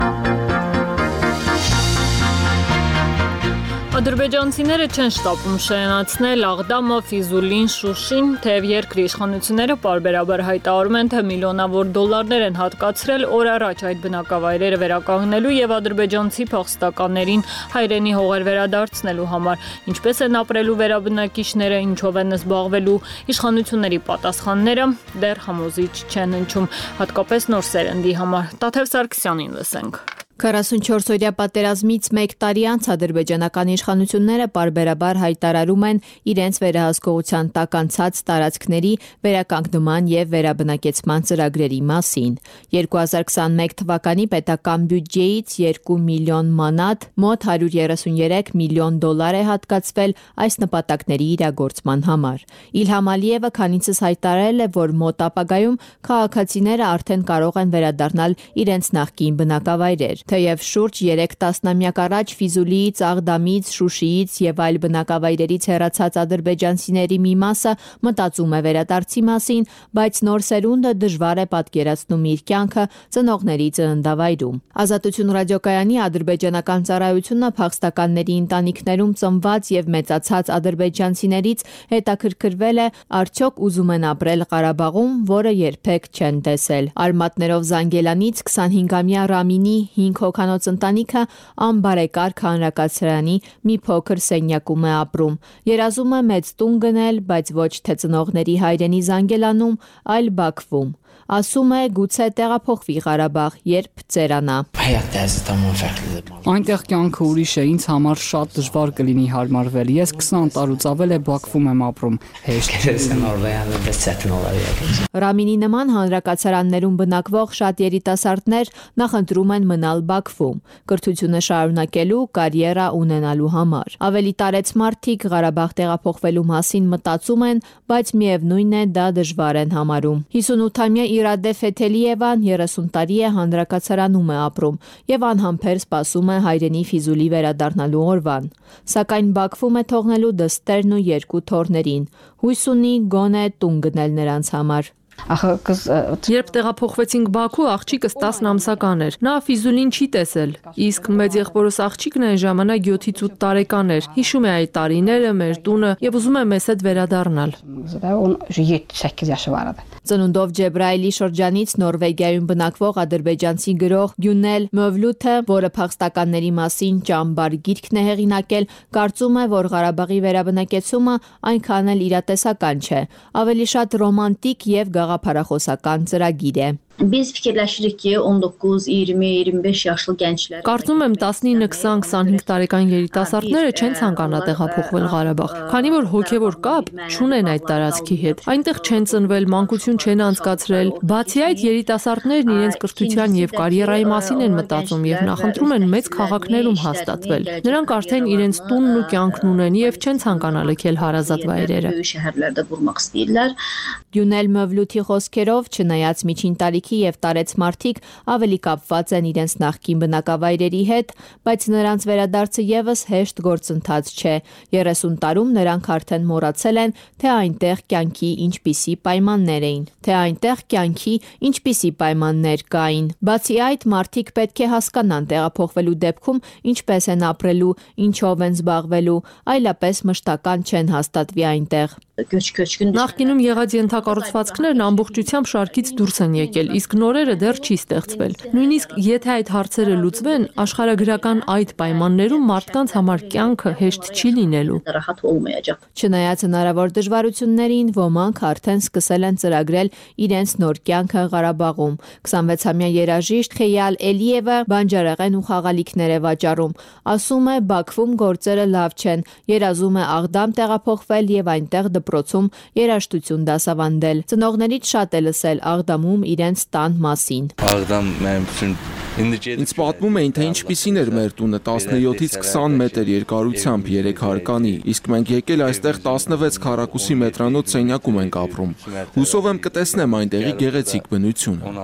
Ադրբեջանցիները չեն շտապում շրջանացնել Աղդամը, Ֆիզուլին, Շուշին, թեև երկրի իշխանությունները պարբերաբար հայտարարում են, թե միլիոնավոր դոլարներ են հատկացրել օր առաջ այդ բնակավայրերը վերականգնելու եւ ադրբեջանցի փախստականներին հայրենի հողեր վերադարձնելու համար։ Ինչպես են ապրելու վերաբնակիչները, ինչով են զբաղվելու, իշխանությունների պատասխանները դեռ համոզիչ չեն հնչում, հատկապես նոր սերնդի համար։ Տաթև Սարգսյանին լսենք։ 44-օրյա պատերազմից 1 տարի անց ադրբեջանական իշխանությունները պարբերաբար հայտարարում են իրենց վերահսկողության տակ անցած տարածքների վերականգնման եւ վերաբնակեցման ծրագրերի մասին։ 2021 թվականի պետական բյուջեից 2 միլիոն մանատ, մոտ 133 միլիոն դոլար է հատկացվել այս նպատակների իրագործման համար։ Իլհամ Ալիևը քանիցս հայտարարել է, որ մոտ ապագայում քաղաքացիները արդեն կարող են վերադառնալ իրենց նախկին բնակավայրեր։ Թեև շուրջ 3 տասնամյակ առաջ Ֆիզուլիից, Աղդամից, Շուշիից եւ այլ բնակավայրերից հեռացած ադրբեջանցիների մի մասը մտածում է վերադարձի մասին, բայց նոր սերունդը դժվար է պատկերացնում իր կյանքը ծնողների ծննդավայրում։ Ազատություն ռադիոկայանի ադրբեջանական ծառայությունը փախստականների ընտանիքներում ծնված եւ մեծացած ադրբեջանցիներից հետաքրքրվել է արդյոք ուզում են ապրել Ղարաբաղում, որը երբեք չեն տեսել։ Արմատներով Զանգելանից 25-ամյա Ռամինի 5 հոգանոց ընտանիքը անբարեկարգ հանրակացարանի մի փոքր սենյակում է ապրում։ Երազում է մեծ տուն գնել, բայց ոչ թե ծնողների հայրենի Զանգելանում, այլ Բաքվում։ Ասում է գուցե տեղափոխվի Ղարաբաղ, երբ ծերանա։ Այնտեղ կյանքը ուրիշ է, ինձ համար շատ դժվար կլինի հարմարվել։ Ես 20 տարուց ավել է Բաքվում եմ ապրում։ Ռամինի նման հանրակացարաններում բնակվող շատ երիտասարդներ նախընտրում են մնալ Բաքվում, կրթությունը շարունակելու, կարիերա ունենալու համար։ Ավելի տարեց մարդիկ Ղարաբաղ տեղափոխվելու մասին մտածում են, բայց միևնույն է դա դժվար են համարում։ 58-ամյա Իրադե Ֆեթելիևան 30 տարի է հանրակացարանում է ապրում եւ անհամբեր սպասում է հայրենի Ֆիզուլի վերադառնալու օրվան։ Սակայն Բաքվում է թողնելու դստերն ու 2 թոռներին։ Հույս ունի գոնե տուն գնել նրանց համար։ Երբ տեղափոխվեցինք Բաքու, աղջիկս 10 ամսական էր։ Նա Ֆիզուլին չի տեսել։ Իսկ մեծ եղբորս աղջիկն այն ժամանակ 7-ից 8 տարեկան էր։ Հիշում է այդ տարիները, մեր տունը եւ ուզում է մեզ հետ վերադառնալ։ Ծնունդով Ջեբրայելի շրջանից Նորվեգիայում բնակվող ադրբեջանցի գրող Գյունել Մովլութը, որը փախստականների մասին ճամբար գիրքն է հեղինակել, կարծում է, որ Ղարաբաղի վերաբնակեցումը այնքան էլ իրատեսական չէ, ավելի շատ ռոմանտիկ եւ գաղափարախոսական ծրագիր է։ Biz fikirləşirik ki, 19, 20, 25 yaşlı gənclər Կարծում եմ 19, 20, 25 տարեկան երիտասարդները չեն ցանկանա տեղափոխվել Ղարաբաղ, քանի որ հոգևոր կապ չունեն այդ տարածքի հետ։ Այնտեղ չեն ծնվել, մանկություն չեն անցկացրել։ Բացի այդ, երիտասարդներն իրենց կրթության եւ կարիերայի մասին են մտածում եւ նախընտրում են մեծ քաղաքներում հաստատվել։ Նրանք արդեն իրենց տունն ու կյանքն ունեն եւ չեն ցանկանա լքել հարազատ վայրերը։ Գյունել Մովլութի խոսքերով, չնայած միջին տարիքի եւ տարեց մարդիկ ավելի կապված են իրենց նախկին բնակավայրերի հետ, բայց նրանց վերադարձը եւս հեշտ գործընթաց չէ։ 30 տարում նրանք արդեն մոռացել են, թե այնտեղ կյանքի ինչպիսի պայմաններ կային։ Բացի այդ, մարդիկ պետք է հասկանան տեղափոխվելու դեպքում ինչպես են ապրելու, ինչով են զբաղվելու, այլապես մշտական չեն հաստատվի այնտեղ։ Նախկինում եղած ենթակառուցվածքներն ամբողջությամբ շարքից դուրս են եկել, իսկ նորերը դեռ չի ստեղծվել։ Նույնիսկ եթե այդ հարցերը լուծվեն, աշխարհագրական այդ պայմաններում մարդկանց համար կյանքը հեշտ չի լինելու։ Չնայած հնարավոր դժվարություններին, ոմանք արդեն սկսել են ծրագրել իրենց նոր կյանքը Ղարաբաղում։ 26-ամյա երաժիշտ Խեյալ Էլիևը բանջարեղեն ու խաղալիքներ է վաճառում։ Ասում է, Բաքվում գործերը լավ չեն, երազում է Աղդամ տեղափոխվել եւ այնտեղ դպրոցում երաժշտություն դասավանդել։ Ծնողներից շատ է լսել Աղդամում իրենց տան մասին։ Ինձ պատմում էին, թե ինչպիսին էր մեր տունը 17-ից 20 մետր երկարությամբ 3 հարկանի, իսկ մենք եկել այստեղ 16 քառակուսի մետրանոց սենյակում ենք ապրում։ Հուսով եմ կտեսնեմ այնտեղի գեղեցիկ բնությունը։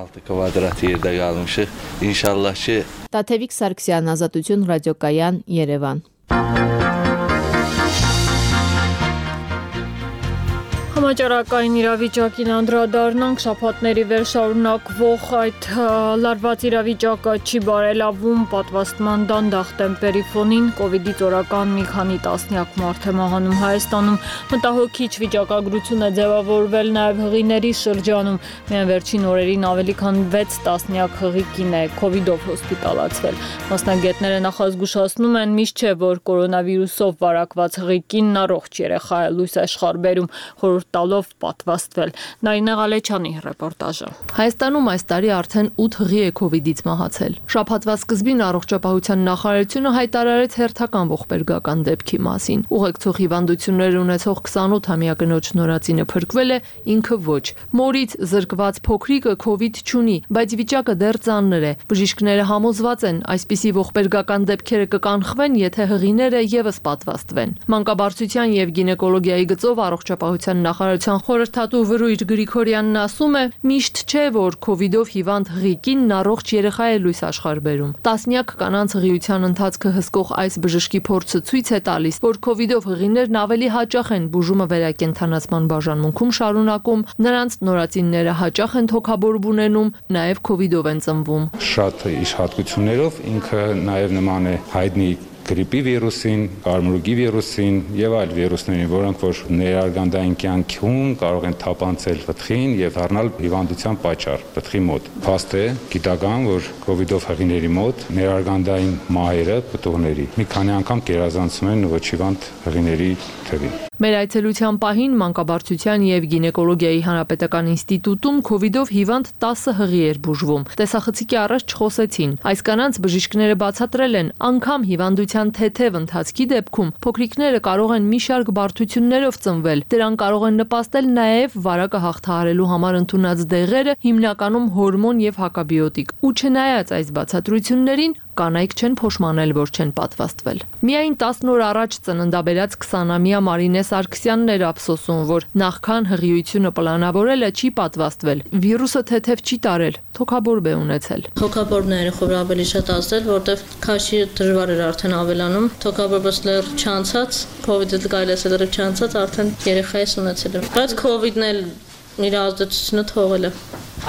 Տաթևիկ Սարգսյան, Ազատություն ռադիոկայան, Երևան։ Համաճարակային իրավիճակին անդրադառնանք, շաբաթների վերշարունակվող այդ լարված իրավիճակը չի բարելավում, պատվաստման դանդաղ տեմպերի ֆոնին կովիդից օրական մի քանի տասնյակ մարդ է մահանում Հայաստանում, մտահոգիչ վիճակագրություն է ձևավորվել նաև հղիների շրջանում, միայն վերջին օրերին ավելի քան 6 տասնյակ հղի կին է կովիդով հոսպիտալացվել։ Մասնագետները նախազգուշացնում են, միշտ չէ, որ կորոնավիրուսով վարակված հղի կինն առողջ երեխա է, լույս աշխարհ բերում, տալով պատվաստվել։ Նարինե Ղալեչյանի ռեպորտաժը։ Հայաստանում այս տարի արդեն 8 հղի է կովիդից մահացել։ Շաբաթվա սկզբին առողջապահության նախարարությունը հայտարարեց հերթական ողբերգական դեպքի մասին։ Ուղեկցող հիվանդություններ ունեցող 28-ամյա կնոջ նորածինը փրկվել է, ինքը ոչ։ Մորից զրկված փոքրիկը կովիդ չունի, բայց վիճակը դեռ ծանր է։ Բժիշկները համոզված են, այսպիսի ողբերգական դեպքերը կկանխվեն, եթե հղիները եւս պատվաստվեն։ Մանկաբարձության եւ գինեկոլոգիայի գծով առողջապահության նախարարության խորհրդատու Վրույր Գրիգորյանն ասում է, միշտ չէ, որ COVID-ով հիվանդ ղիկին առողջ երեխա է լույս աշխարհ բերում։ Տասնյակ կանանց հղիության ընթացքը հսկող այս բժշկի փորձը ցույց է տալիս, որ COVID-ով հղիներն ավելի հաճախ են բուժումը վերակենդանացման բաժանմունքում շարունակում, նրանց նորածինները հաճախ են թոքաբորբ ունենում, նաև COVID-ով են ծնվում։ Շատ իշխատություններով ինքը նաև նման է հայտնի գրիպի վիրուսին, կարմրուկի վիրուսին եւ այլ վիրուսներին, որոնք որ ներարգանդային կյանքում կարող են թափանցել պտղին եւ դառնալ հիվանդության պատճառ պտղի մոտ։ Փաստ է գիտական, որ COVID-ով հղիների մոտ ներարգանդային մահերը պտուղների մի քանի անգամ գերազանցում են ոչ հիվանդ հղիների թվին։ Մեր այցելության պահին Մանկաբարձության եւ գինեկոլոգիայի հանրապետական ինստիտուտում COVID-ով հիվանդ 10 հղի էր բուժվում։ Տեսախցիկի առաջ չխոսեցին։ Այս կանանց բժիշկները բացատրել են, անգամ հիվանդության թեթև ընթացքի դեպքում փոքրիկները կարող են մի շարք բարդություններով ծնվել։ Դրան կարող են նպաստել նաեւ վարակը հաղթահարելու համար ընդունած դեղերը, հիմնականում հորմոն եւ հակաբիոտիկ։ Ու չնայած այս բացատրություններին, կանայք չեն փոշմանել, որ չեն պատվաստվել։ Միայն 10 օր առաջ ծննդաբերած 20-ամյա Մարինե Սարգսյանն էր ափսոսում, որ նախքան հղիությունը պլանավորելը չի պատվաստվել։ Վիրուսը թեթև չի տարել, թոքաբորբ է ունեցել։ Թոքաբորբն է երախով ավելի շատ ազդել, որտեղ քաշի դժվար էր արդեն ավելանում։ Թոքաբորբը լրիվ չանցած, COVID-ը գայլես լրիվ չանցած, արդեն երեխայից ունեցել եմ։ Բայց COVID-ն էլ իր ազդեցությունը թողել է։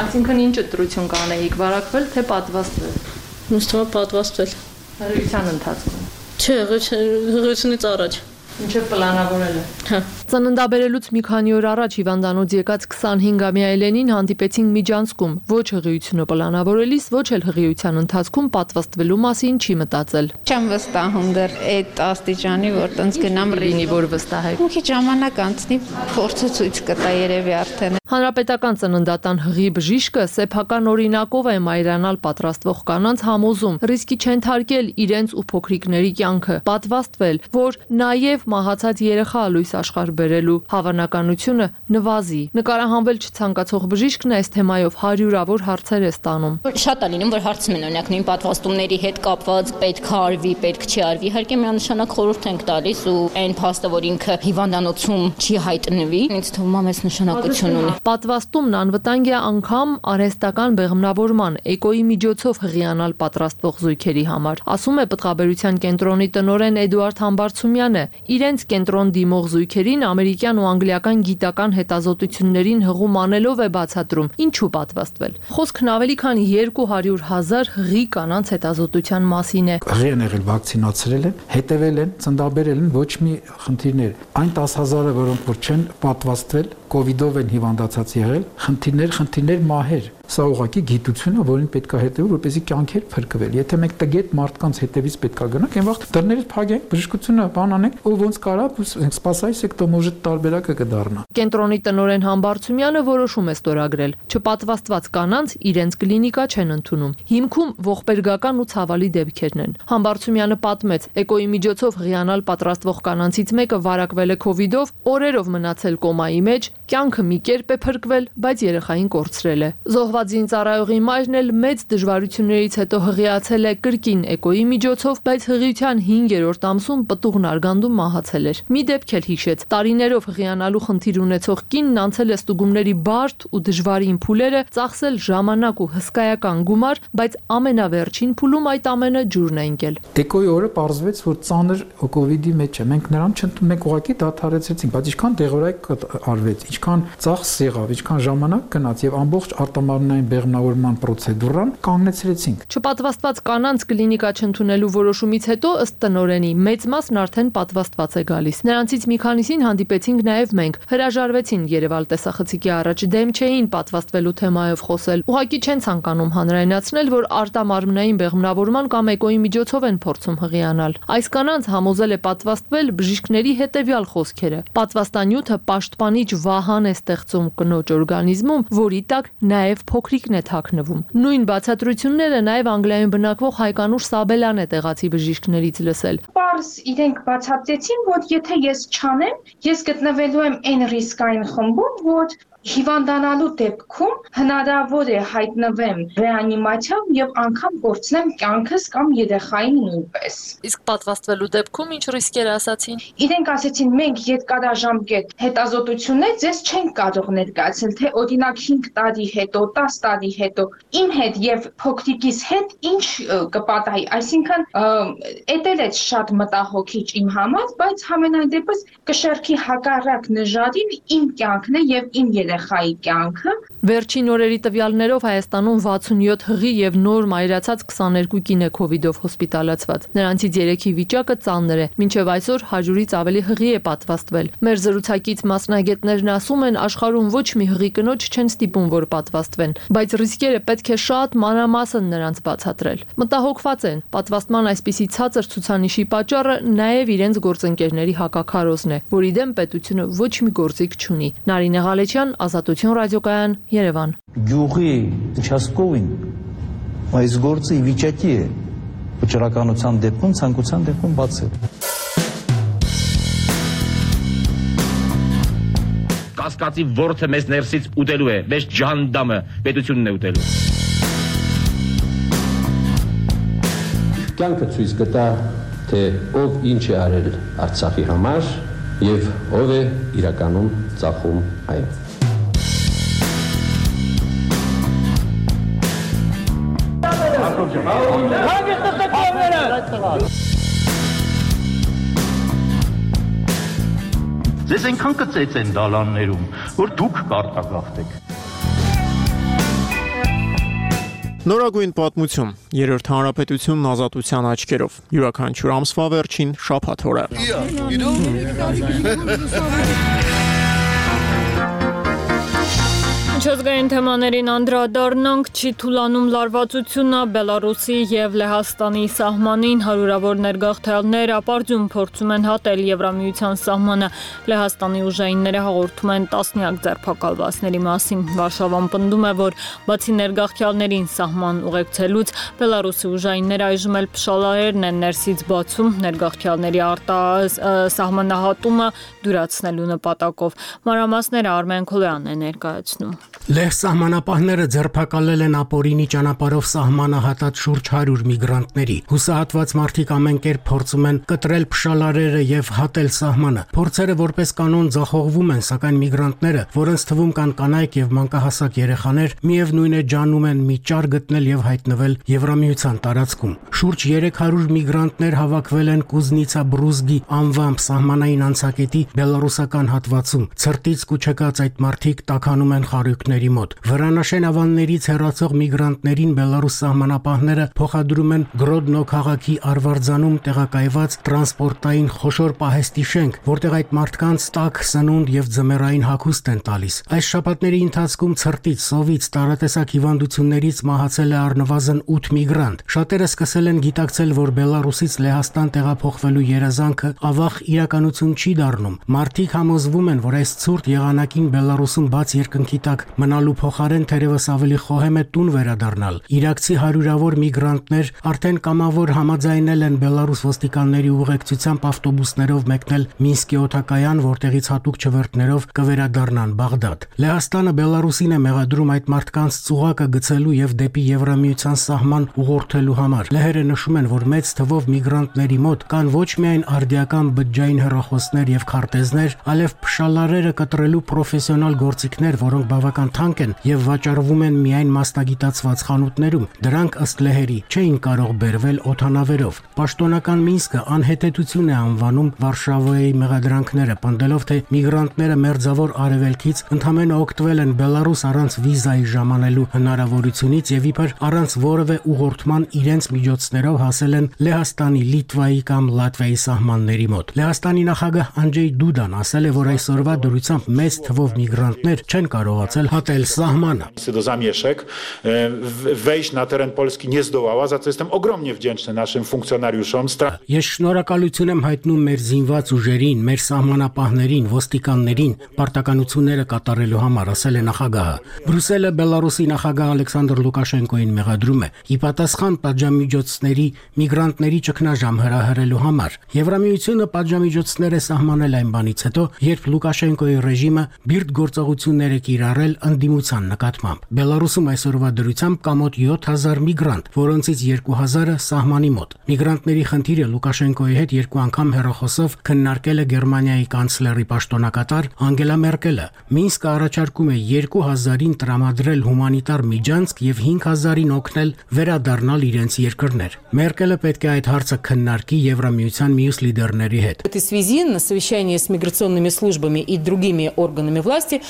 Այսինքն ինչ ընտրություն կանեիք, վարակվել թե պատվաստվել։ Ինձ թվում է պատվաստվել։ Հղիության ընթացքում։ Չէ, հղիությունից առաջ։ Ինչեւ պլանավորել է։ Հա։ Ծննդաբերելուց մի քանի օր առաջ հիվանդանոց եկած 25-ամյա Էլենին հանդիպեցին միջանցքում։ Ոչ հղիությունը պլանավորելիս, ոչ էլ հղիության ընթացքում պատվաստվելու մասին չի մտածել։ Չեմ վստահում դեռ այդ աստիճանի, որ տենց գնամ ռինի, որ վստահեք։ Մի քիչ ժամանակ անցնի, փորձը ցույց կտա երևի արդեն։ Հանրապետական ծննդատան հղի բժիշկը սեփական օրինակով է մայրանալ պատրաստվող կանանց համոզում, ռիսկի չենթարկել իրենց ու փոքրիկների կյանքը, պատվաստվել, որ նաև մահացած երեխա լույս աշխարհ բերելու հավանականությունը նվազի։ Նկարահանվել չցանկացող բժիշկն այս թեմայով հարյուրավոր հարցեր է ստանում։ Շատ է լինում, որ հարցնում են օրինակ նույն պատվաստումների հետ կապված պետք է արվի, պետք չի արվի։ Իհարկե միանշանակ խորհուրդ ենք տալիս ու այն փաստը, որ ինքը հիվանդանոցում չի հայտնվի, ինձ թվում է մեծ նշանակություն ունի։ Պատվաստումն անվտանգ է անգամ արհեստական բեղմնավորման էկոյի միջոցով հղիանալ պատրաստվող զույգերի համար, ասում է Պտղաբերության կենտրոնի տնօրեն Էդուարդ Համբարձումյանը։ Իրենց կենտրոն դիմող զույգերին ամերիկյան ու անգլիական գիտական հետազոտություններին հղում անելով է բացատրում, ինչու պատվաստվել։ Խոսքն ավելի քան 200,000 հղի կանանց հետազոտության մասին է։ Հղի են եղել, վակցինացրել են, հետևել են, ծննդաբերել են, ոչ մի խնդիրներ։ Այն 10,000-ը, որոնք որ չեն պատվաստվել, COVID-ով են հիվանդացած եղել, խնդիրներ, մահեր։ Սա ուղղակի գիտություն է, որին պետք է հետևել, որպեսզի կյանքեր փրկվել։ Եթե մենք տգետ մարդկանց հետևից պետք է գնանք, այն վաղ դռներից փակենք, բժշկությունը բան անենք, ու ոնց կարա, սպասայիսեք տոմոժը տարբերակը կդառնա։ Կենտրոնի տնօրեն Համբարձումյանը որոշում է ստորագրել, չպատվաստված կանանց իրենց կլինիկա չեն ընդունում։ Հիմքում ողբերգական ու ցավալի դեպքերն են։ Համբարձումյանը պատմեց, էկոյի միջոցով հղիանալ պատրաստվող կանանցից մեկը վարակվել է COVID-ով, օրերով մնացել կոմայի մեջ, կյանքը մի կերպ է փրկվել, բայց երեխային կորցրել է։ Զոհված զինծառայողի մայրն էլ մեծ դժվարություններից հետո հղիացել է կրկին էկոյի միջոցով, բայց հղիության 5-րդ ամսում պտուղն արգանդում մահացել էր։ Մի դեպք էլ հիշեց, տարիներով հղիանալու խնդիր ունեցող կինն անցել է ստուգումների բարդ ու դժվարին փուլերը, ծախսել ժամանակ ու հսկայական գումար, բայց ամենավերջին փուլում այդ ամենը ջուրն է ընկել։ Էկոյի օրը պարզվեց, որ ծանր COVID-ի մեջ է։ Մենք նրան չընդունում, մենք ուղղակի դադարեցրեցինք, բայց ինչքան դեղորայք արվեց, ինչքան ծախս եղավ, ինչքան ժամանակ գնաց եւ ամբողջ արտամարմնային բեղմնավորման պրոցեդուրան կանգնեցրեցինք։ Չպատվաստված կանանց կլինիկա չընդունելու որոշումից հետո ըստ տնօրենի մեծ մասն արդեն պատվաստված է գալիս։ Նրանցից մի քանիսին հանդիպեցինք նաեւ մենք, հրաժարվեցին Երևալ տեսախցիկի առաջ, դեմ չէին պատվաստվելու թեմայով խոսել։ Ուղղակի չեն ցանկանում հանրայնացնել, որ արտամարմնային բեղմնավորման կամ էկոյի միջոցով են փորձում հղիանալ։ Այս կանանց համոզել է պատվաստվել բժիշկների հետևյալ խոսքերը. պատվաստանյութը պաշտպանիչ վահան է ստեղծում կնոջ օրգանիզմում, որի տակ նաև փոքրիկն է թաքնվում։ Նույն բացատրությունները նաև Անգլիայում բնակվող Հայկանուշ Սաբելան է տեղացի բժիշկներից լսել։ Պարզ իրենք բացատրեցին, որ եթե ես չանեմ, ես գտնվելու եմ այն ռիսկային խմբում, որ հիվանդանալու դեպքում հնարավոր է հայտնվեմ ռեանիմացիայում եւ անգամ կորցնեմ կյանքս կամ երեխային նույնպես։ Իսկ պատվաստվելու դեպքում ինչ ռիսկեր ասացին։ Իրենք ասեցին, մենք երկարաժամկետ հետազոտություններ ձեզ չենք կարող ներկայացնել, թե օրինակ 5 տարի հետո, 10 տարի հետո իմ հետ եւ փոքրիկիս հետ ինչ կպատահի, այսինքն էտել է շատ մտահոգիչ իմ համար, բայց համենայն դեպս կշերքի հակառակ նժարին իմ կյանքն է եւ իմ երեխայի կյանքը։ Վերջին օրերի տվյալներով Հայաստանում 67 հղի եւ նոր մայրացած 22 կին է COVID-ով հոսպիտալացված։ Նրանցից 3-ի վիճակը ծանր է, մինչեւ այսօր 100-ից ավելի հղի է պատվաստվել։ Մեր զրուցակից մասնագետներն ասում են, աշխարհում ոչ մի հղի կնոջ չեն ստիպում, որ պատվաստվեն, բայց ռիսկերը պետք է շատ մանրամասն նրանց բացատրել։ Մտահոգված են, պատվաստման այսպիսի ցածր ցուցանիշի պատճառը նաեւ իրենց գործընկերների հակաքարոզն է, որի դեմ պետությունը ոչ մի գործիք չունի։ Նարինե Ղալեչյան, Ազատություն ռադիոկայան, Երևան։ Գյուղի участковին այս գործը ի վիճակի է վճռականության դեպքում, ցանկության դեպքում բացել։ Կասկածի ворթը մեզ ներսից ուտելու է, մեզ ջանդամը պետությունն է ուտելու։ Կյանքը ցույց կտա, թե ով ինչ է արել Արցախի համար եւ ով է իրականում ծախում այն։ Ձեզ այնքան կծեց են դալաններում, որ դուք կարտագաղթեք։ Նորագույն պատմություն, երրորդ հանրապետությունն ազատության աչքերով, յուրաքանչյուր ամսվա վերջին շաբաթ օրը։ Միջազգային թեմաներին անդրադառնանք, չի թուլանում լարվածությունը Բելարուսի եւ Լեհաստանի սահմանին հարյուրավոր ներգաղթյալներ ապարդյուն փորձում են հատել Եվրամիության սահմանը։ Լեհաստանի ուժայինները հաղորդում են տասնյակ ձերբակալվածների մասին։ Վարշավան պնդում է, որ բացի ներգաղթյալներին սահման ուղեկցելուց, Բելարուսի ուժայինները այժմ էլ փշալարերն են ներսից բացում ներգաղթյալների սահմանահատումը դյուրացնելու նպատակով։ Մանրամասները Արմեն Քոլոյանն է ներկայացնում։ Լեհ սահմանապահները ձերբակալել են ապօրինի ճանապարհով սահմանը հատած շուրջ 100 միգրանտների։ Հուսահատված մարդիկ ամեն կերպ փորձում են կտրել փշալարերը եւ հատել սահմանը։ Փորձերը որպես կանոն ձախողվում են, սակայն միգրանտները, որոնց թվում կան կանայք եւ մանկահասակ երեխաներ, միևնույն է ջանում են մի ճար գտնել եւ հայտնվել Եվրամիության տարածքում։ Շուրջ 300 միգրանտներ հավաքվել են Կուզնիցա Բրուզգի անվամբ սահմանային անցակետի բելարուսական հատվածում։ Ցրտից կուչեկած այդ մարդիկ տաքանում են խարույկների մոտ։ Վրանաշեն ավաններից հեռացող միգրանտներին Բելարուս սահմանապահները փոխադրում են Գրոդնո քաղաքի Արվարձանում տեղակայված տրանսպորտային խոշոր պահեստի շենք, որտեղ այդ մարդկանց տաք սնունդ եւ ձմեռային հագուստ են տալիս։ Այս շաբաթների ընթացքում ցրտից, սովից, տարատեսակ հիվանդություններից մահացել է առնվազն 8 միգրանտ։ Շատերը սկսել են գիտակցել, որ Բելարուսից Լեհաստան տեղափոխվելու երազանքը ավաղ իրականություն չի դառնում։ Մարդիկ համոզվում են, որ այս ցուրտ եղանակին Բելարուսում բաց երկնքի տակ մնալու փոխարեն թերևս ավելի խոհեմ է տուն վերադառնալ։ Իրաքցի հարյուրավոր միգրանտներ արդեն կամավոր համաձայնել են Բելարուս ոստիկանների ուղեկցությամբ ավտոբուսներով մեկնել Մինսկի օդակայան, որտեղից հատուկ չվերթներով կվերադառնան Բաղդադ։ Լեհաստանը Բելարուսին է մեղադրում այդ մարդկանց ծուղակը գցելու եւ դեպի Եվրամիության սահման ուղղորդելու համար։ Լեհերը նշում են, որ մեծ թվով միգրանտների մոտ կան ոչ միայն արդիական բջջային հեռախոսներ եւ քարտեզներ, այլև փշալարերը կտրելու պրոֆեսիոնալ գործիքներ, որոնք բավական թանկ են եւ վաճառվում են միայն մասնագիտացված խանութներում։ Դրանք ըստ լեհերի չէին կարող բերվել օդանավերով։ Պաշտոնական Մինսկը անհետեցություն է անվանում Վարշավայի մեղադրանքները, պնդելով, թե միգրանտները մերձավոր արևելքից ընդհանրապես օգտվել են Բելարուս առանց վիզայի ժամանելու հնարավորությունից եւ իբր առանց որևէ ուղղորդման իրենց միջոցներով հասել են Լեհաստանի, Լիտվայի կամ Լատվիայի սահմանների մոտ։ Լեհաստանի նախագահ Անջեյ Դուդան ասել է, որ այսօրվա դրությամբ մեծ թվով միգրանտներ չեն կարողացել կառուցել հատել սահմանը։ Zamierzchek wejść na teren Polski nie zdołała, za co jestem ogromnie wdzięczny naszym funkcjonariuszom. Ես շնորհակալություն եմ հայտնում մեր զինված ուժերին, մեր սահմանապահներին, ոստիկաններին պարտականությունները կատարելու համար, ասել է նախագահը։ Բրյուսելը Բելարուսի նախագահ Ալեքսանդր Լուկաշենկոին մեղադրում է ի պատասխան պատժամիջոցների միգրանտների ճգնաժամ հրահրելու համար։ Եվրամիությունը պատժամիջոցներ է սահմանել այն բանից հետո, երբ Լուկաշենկոյի ռեժիմը բիրտ գործողություններ է կիրառել ընդդիմության նկատմամբ։ Բելարուսում այսօրվա դրությամբ կա մոտ 7000 միգրանտ, որոնցից 2000-ը սահմանի մոտ։ Միգրանտների խնդիրը Լուկաշենկոյի հետ երկու անգամ հեռախոսով քննարկել է Գերմանիայի կանցլերի պաշտոնակատար Անգելա Մերկելը։ Մինսկը առաջարկում է 2000-ին տրամադրել հումանիտար միջանցք եւ 5000-ին օգնել վերադառնալ իրենց երկրներ։ Մերկելը պետք է այդ հարցը քննարկի Եվրամիության մյուս լիդերների հետ։ В этой связи на совещании с миграционными службами и другими органами власти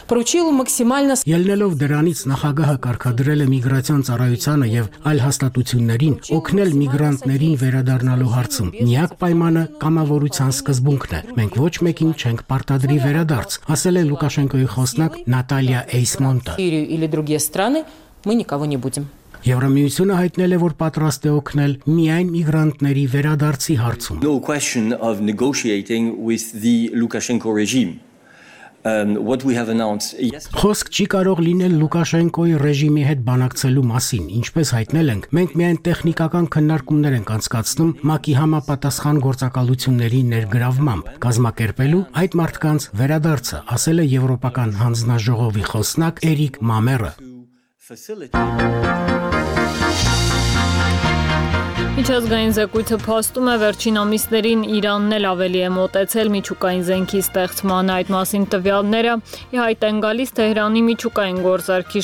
поручил максимально Ելնելով դրանից նախագահը կարգադրել է միգրացիոն ծառայությանը եւ այլ հաստատություններին օգնել միգրանտներին վերադառնալու հարցում։ Միակ պայմանը կամավորության սկզբունքն է։ Մենք ոչ մեկին չենք պարտադրի վերադարձ, ասել է Լուկաշենկոյի խոսնակ Նատալիա Էյսմոնտը։ или другие страны мы никого не будем. Եվրամիությունը հայտնել է, որ պատրաստ է օգնել միայն միգրանտների վերադարձի հարցում։ No question of negotiating with the Lukashenko regime. What we have announced Խոսք չի կարող լինել Լուկաշենկոյի ռեժիմի հետ բանակցելու մասին, ինչպես հայտնել ենք, մենք միայն տեխնիկական քննարկումներ ենք անցկացնում ՄԱԿ-ի համապատասխան գործակալությունների ներգրավմամբ, կազմակերպելու այդ մարդկանց վերադարձը, ասել է Եվրոպական հանձնաժողովի խոսնակ Էրիկ Մամերը։ Միջազգային զեկույցը փաստում է վերջին ամիսներին Իրանն էլ ավելի է մոտեցել միջուկային զենքի ստեղծման այդ մասին տվյալները ի հայտ են գալիս Թեհրանի միջուկային գործարքի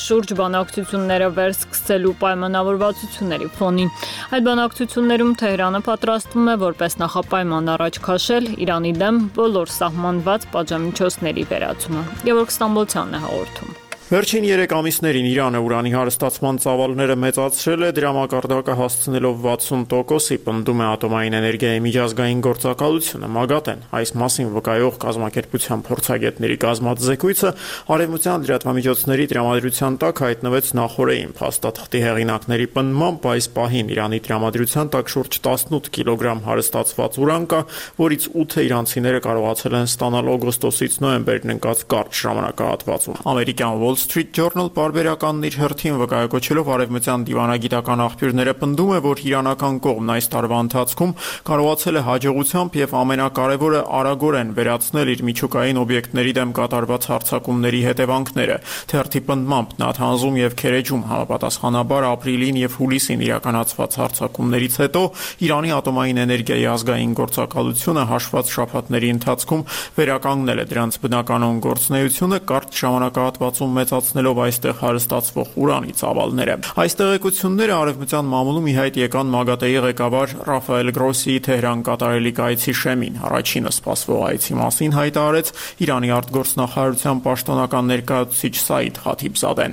շուրջ բանակցությունները վերսկսելու պայմանավորվածությունների ֆոնին։ Այդ բանակցություններում Թեհրանը պատրաստվում է որպես նախապայման առաջ քաշել Իրանի դեմ բոլոր սահմանված պատժամիջոցների վերացումը։ Գևորգ Ստամբոլցյանն է հաղորդում։ Վերջին 3 ամիսներին Իրանը ուրանի հարստացման ծավալները մեծացրել է, դրա մակարդակը հասցնելով 60%-ի, պնդում է ատոմային էներգիայի միջազգային գործակալությունը ՄԱԳԱՏ-ն։ Այս մասին վկայող կազմակերպության փորձագետների կազմած զեկույցը արևմտյան լրատվամիջոցների տրամադրության տակ հայտնվեց նախորդին։ Փաստաթղթի հեղինակների պնդմամբ այս պահին Իրանի տրամադրության տակ շուրջ 18 կիլոգրամ հարստացված ուրան կա, որից 8-ը իրանցիները կարողացել են ստանալ օգոստոսից նոյեմբերն ընկած կարճ ժամանակահատվածում։ Ամերիկյան Wall Street Journal պարբերականն իր հերթին վկայակոչելով արևմտյան դիվանագիտական աղբյուրները պնդում է, որ իրանական կողմն այս տարվա ընթացքում կարողացել է հաջողությամբ եւ ամենակարևորը արագորեն վերացնել իր միջուկային օբյեկտների դեմ կատարված հարձակումների հետևանքները։ Թերթի պնդմամբ Նաթանզում եւ Քերեջում համապատասխանաբար ապրիլին եւ հուլիսին իրականացված հարձակումներից հետո Իրանի ատոմային էներգիայի ազգային գործակալությունը հաշված շաբաթների ընթացքում վերականգնել է դրանց բնականon գործունեությունը կարճ ժամանակահատվածում մեծացնելով այստեղ հարստացվող ուրանի ծավալները։ Այս տեղեկությունները արևմտյան մամուլում ի հայտ եկան ՄԱԳԱՏ-ի ղեկավար Ռաֆայել Գրոսիի Թեհրան կատարելիք այցի շեմին։ Առաջինը սպասվող այցի մասին հայտարարեց Իրանի արտգործնախարարության պաշտոնական ներկայացուցիչ Սաիդ Խաթիբզադեն։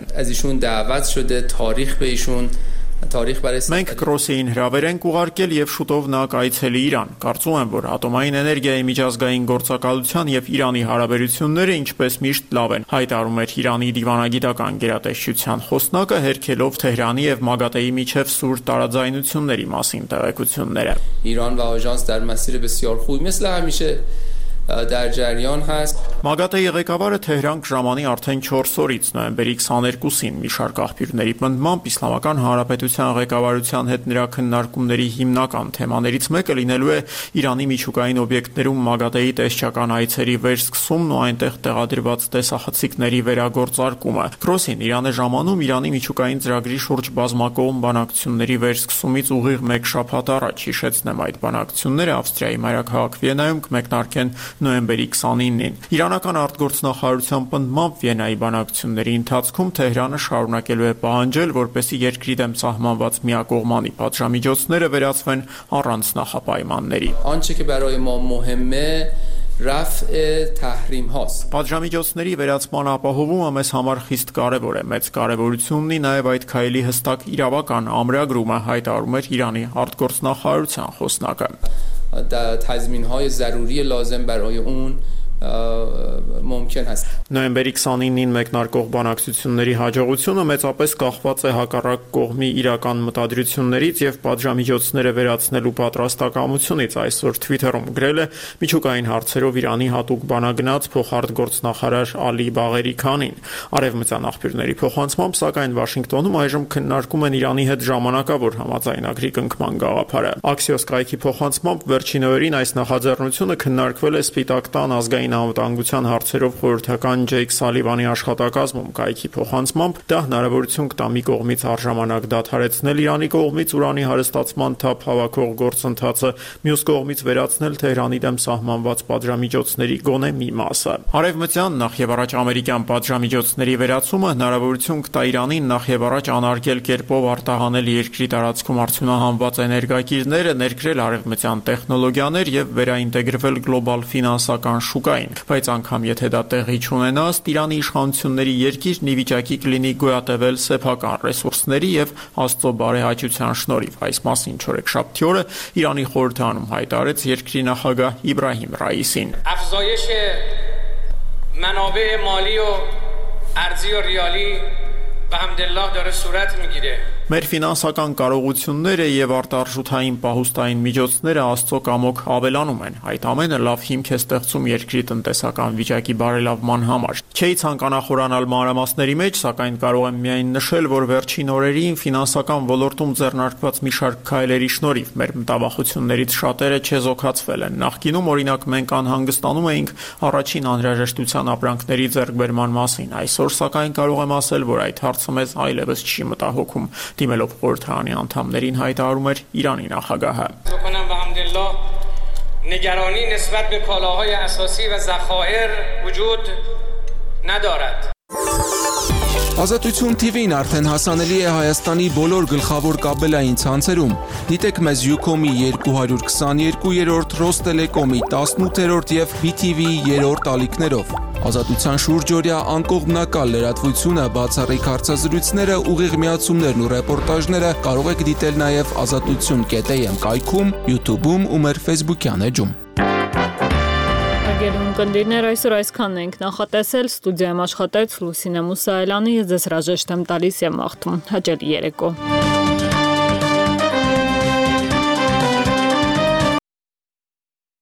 Մենք Գրոսիին հրավեր ենք ուղարկել եւ շուտով նա կայցելի Իրան։ Կարծում եմ, որ ատոմային էներգիայի միջազգային գործակալության եւ Իրանի հարաբերությունները ինչպես միշտ լավ են, հայտարարում էր Իրանի դիվանագիտական գերատեսչության խոսնակը, հերքելով Թեհրանի եւ ՄԱԳԱՏ-ի միջև սուր տարաձայնությունների մասին տեղեկությունները։ Իրան و آژانس در مسیر بسیار خوبی مثل همیشه در جریان هست ՄԱԳԱՏ-ի ղեկավարը Թեհրան կժամանի արդեն 4 օրից նոյեմբերի 22-ին մի շարք աղբյուրների պնդմամբ Իսլամական Հանրապետության ղեկավարության հետ նրա քննարկումների հիմնական թեմաներից մեկը լինելու է Իրանի միջուկային օբյեկտներում ՄԱԳԱՏ-ի տեսչական այցերի վերսկսումն ու այնտեղ տեղադրված տեսախցիկների վերագործարկումը։ Գրոսին Իրանը ժամանում Իրանի միջուկային ծրագրի շուրջ բազմակողմ բանակցությունների վերսկսումից ուղիղ 1 շաբաթ առաջ հիշեցնեմ այդ բանակցությունները Ավստրիայի մայրաքաղաք Վիեննայում կմեկնարկեն նոյեմբերի 29-ին։ Իրանական արտգործնախարարության պնդմամբ Վիեննայի բանակցությունների ընթացքում Թեհրանը շարունակելու է պահանջել, որպեսզի երկրի դեմ սահմանված միակողմանի պատժամիջոցները վերացվեն առանց նախապայմանների։ آنچه که برای ما مهمه رفع تحریم هاست Պատժամիջոցների վերացման ապահովումը մեզ համար խիստ կարևոր է։ Մեծ կարևորություն ունի նաև այդ քայլի հստակ իրավական ամրագրումը, հայտարարում էր Իրանի արտգործնախարարության խոսնակը։ تضمین‌های ضروری لازم برای اون ممکن هست. Նոյեմբերի 29-ին մեկնարկող բանակցությունների հաջողությունը մեծապես կախված է հակառակ կողմի իրական մտադրություններից եւ պատժամիջոցները վերացնելու պատրաստակամությունից, այսօր Twitter-ում գրել է միջուկային հարցերով Իրանի հատուկ բանագնաց փոխարտգործնախարար Ալի Բաղերիքանին։ Արևմտյան աղբյուրների փոխանցմամբ, սակայն Վաշինգտոնում այժմ քննարկում են Իրանի հետ ժամանակավոր համաձայնագրի կնքման գաղափարը։ Axios կայքի փոխանցմամբ վերջին օրերին այս նախաձեռնությունը քննարկվել է Սպիտակ տան ազգային անվտանգության հարցերով խորհրդական Ջեյք Սալիվանի աշխատակազմում։ Կայքի փոխանցմամբ դա հնարավորություն կտա մի կողմից առժամանակ դադարեցնել Իրանի կողմից ուրանի հարստացման թափ հավաքող գործընթացը, մյուս կողմից վերացնել Թեհրանի դեմ սահմանված պատժամիջոցների գոնե մի մասը։ Արևմտյան նախ եւ առաջ ամերիկյան պատժամիջոցների վերացումը հնարավորություն կտա Իրանին նախ եւ առաջ անարգել կերպով արտահանել երկրի տարածքում արդյունահանված էներգակիրները, ներկրել արևմտյան տեխնոլոգիաներ եւ վերաինտեգրվել գլոբալ ֆինանսական շուկային, բայց անգամ եթե դա տեղի չունենա, Իրանի իշխանությունների երկիրն ի վիճակի կլինի գոյատևել սեփական ռեսուրսների եւ Աստծո բարեհաճության շնորհիվ։ Այս մասին չորեքշաբթի օրը Իրանի խորհրդարանում հայտարարեց երկրի նախագահ Իբրահիմ Ռայիսին։ افزایش منابع مالی و ارزی و ریالی به حمدالله داره صورت میگیره. Մեր ֆինանսական կարողությունները եւ արտարժութային պահուստային միջոցները Աստծո կամոք ավելանում են։ Այդ ամենը լավ հիմք է ստեղծում երկրի տնտեսական վիճակի բարելավման համար։ Չէի ցանկանա խորանալ մանրամասների մեջ, սակայն կարող եմ միայն նշել, որ վերջին օրերին ֆինանսական ոլորտում ձեռնարկված մի շարք քայլերի շնորհիվ մեր մտավախություններից շատերը չեզոքացվել են։ Նախկինում օրինակ մենք անհանգստանում էինք առաջին անհրաժեշտության ապրանքների ձեռքբերման մասին։ Այսօր սակայն կարող եմ ասել, որ այդ հարցը մեզ այլևս չի մտահոգում։ Դիմելով խորհրդարանի անդամներին հայտարարում էր Իրանի նախագահը։ نگرانی نسبت به کالاهای اساسی و ذخایر وجود ندارد. Ազատություն TV-ն արդեն հասանելի է Հայաստանի բոլոր գլխավոր կաբելային ցանցերում։ Դիտեք մեզ Ucom-ի 222-րդ, Ռոստելեկոմի 18-րդ եւ BTV-ի 3-րդ ալիքներով։ Ազատության շուրջօրյա անկողմնակալ լրատվությունը, բացառիկ հարցազրույցները, ուղիղ միացումներն ու ռեպորտաժները կարող եք դիտել նաև azatutun.am կայքում, YouTube-ում ու մեր Facebook-յան էջում։ Հարգելի ունկնդիրներ, այսօր այսքանն ենք նախատեսել, ստուդիայում աշխատեց Լուսինե Մուսայելյանը, ես ձեզ հրաժեշտ եմ տալիս եւ մաղթում հաճելի երեկո։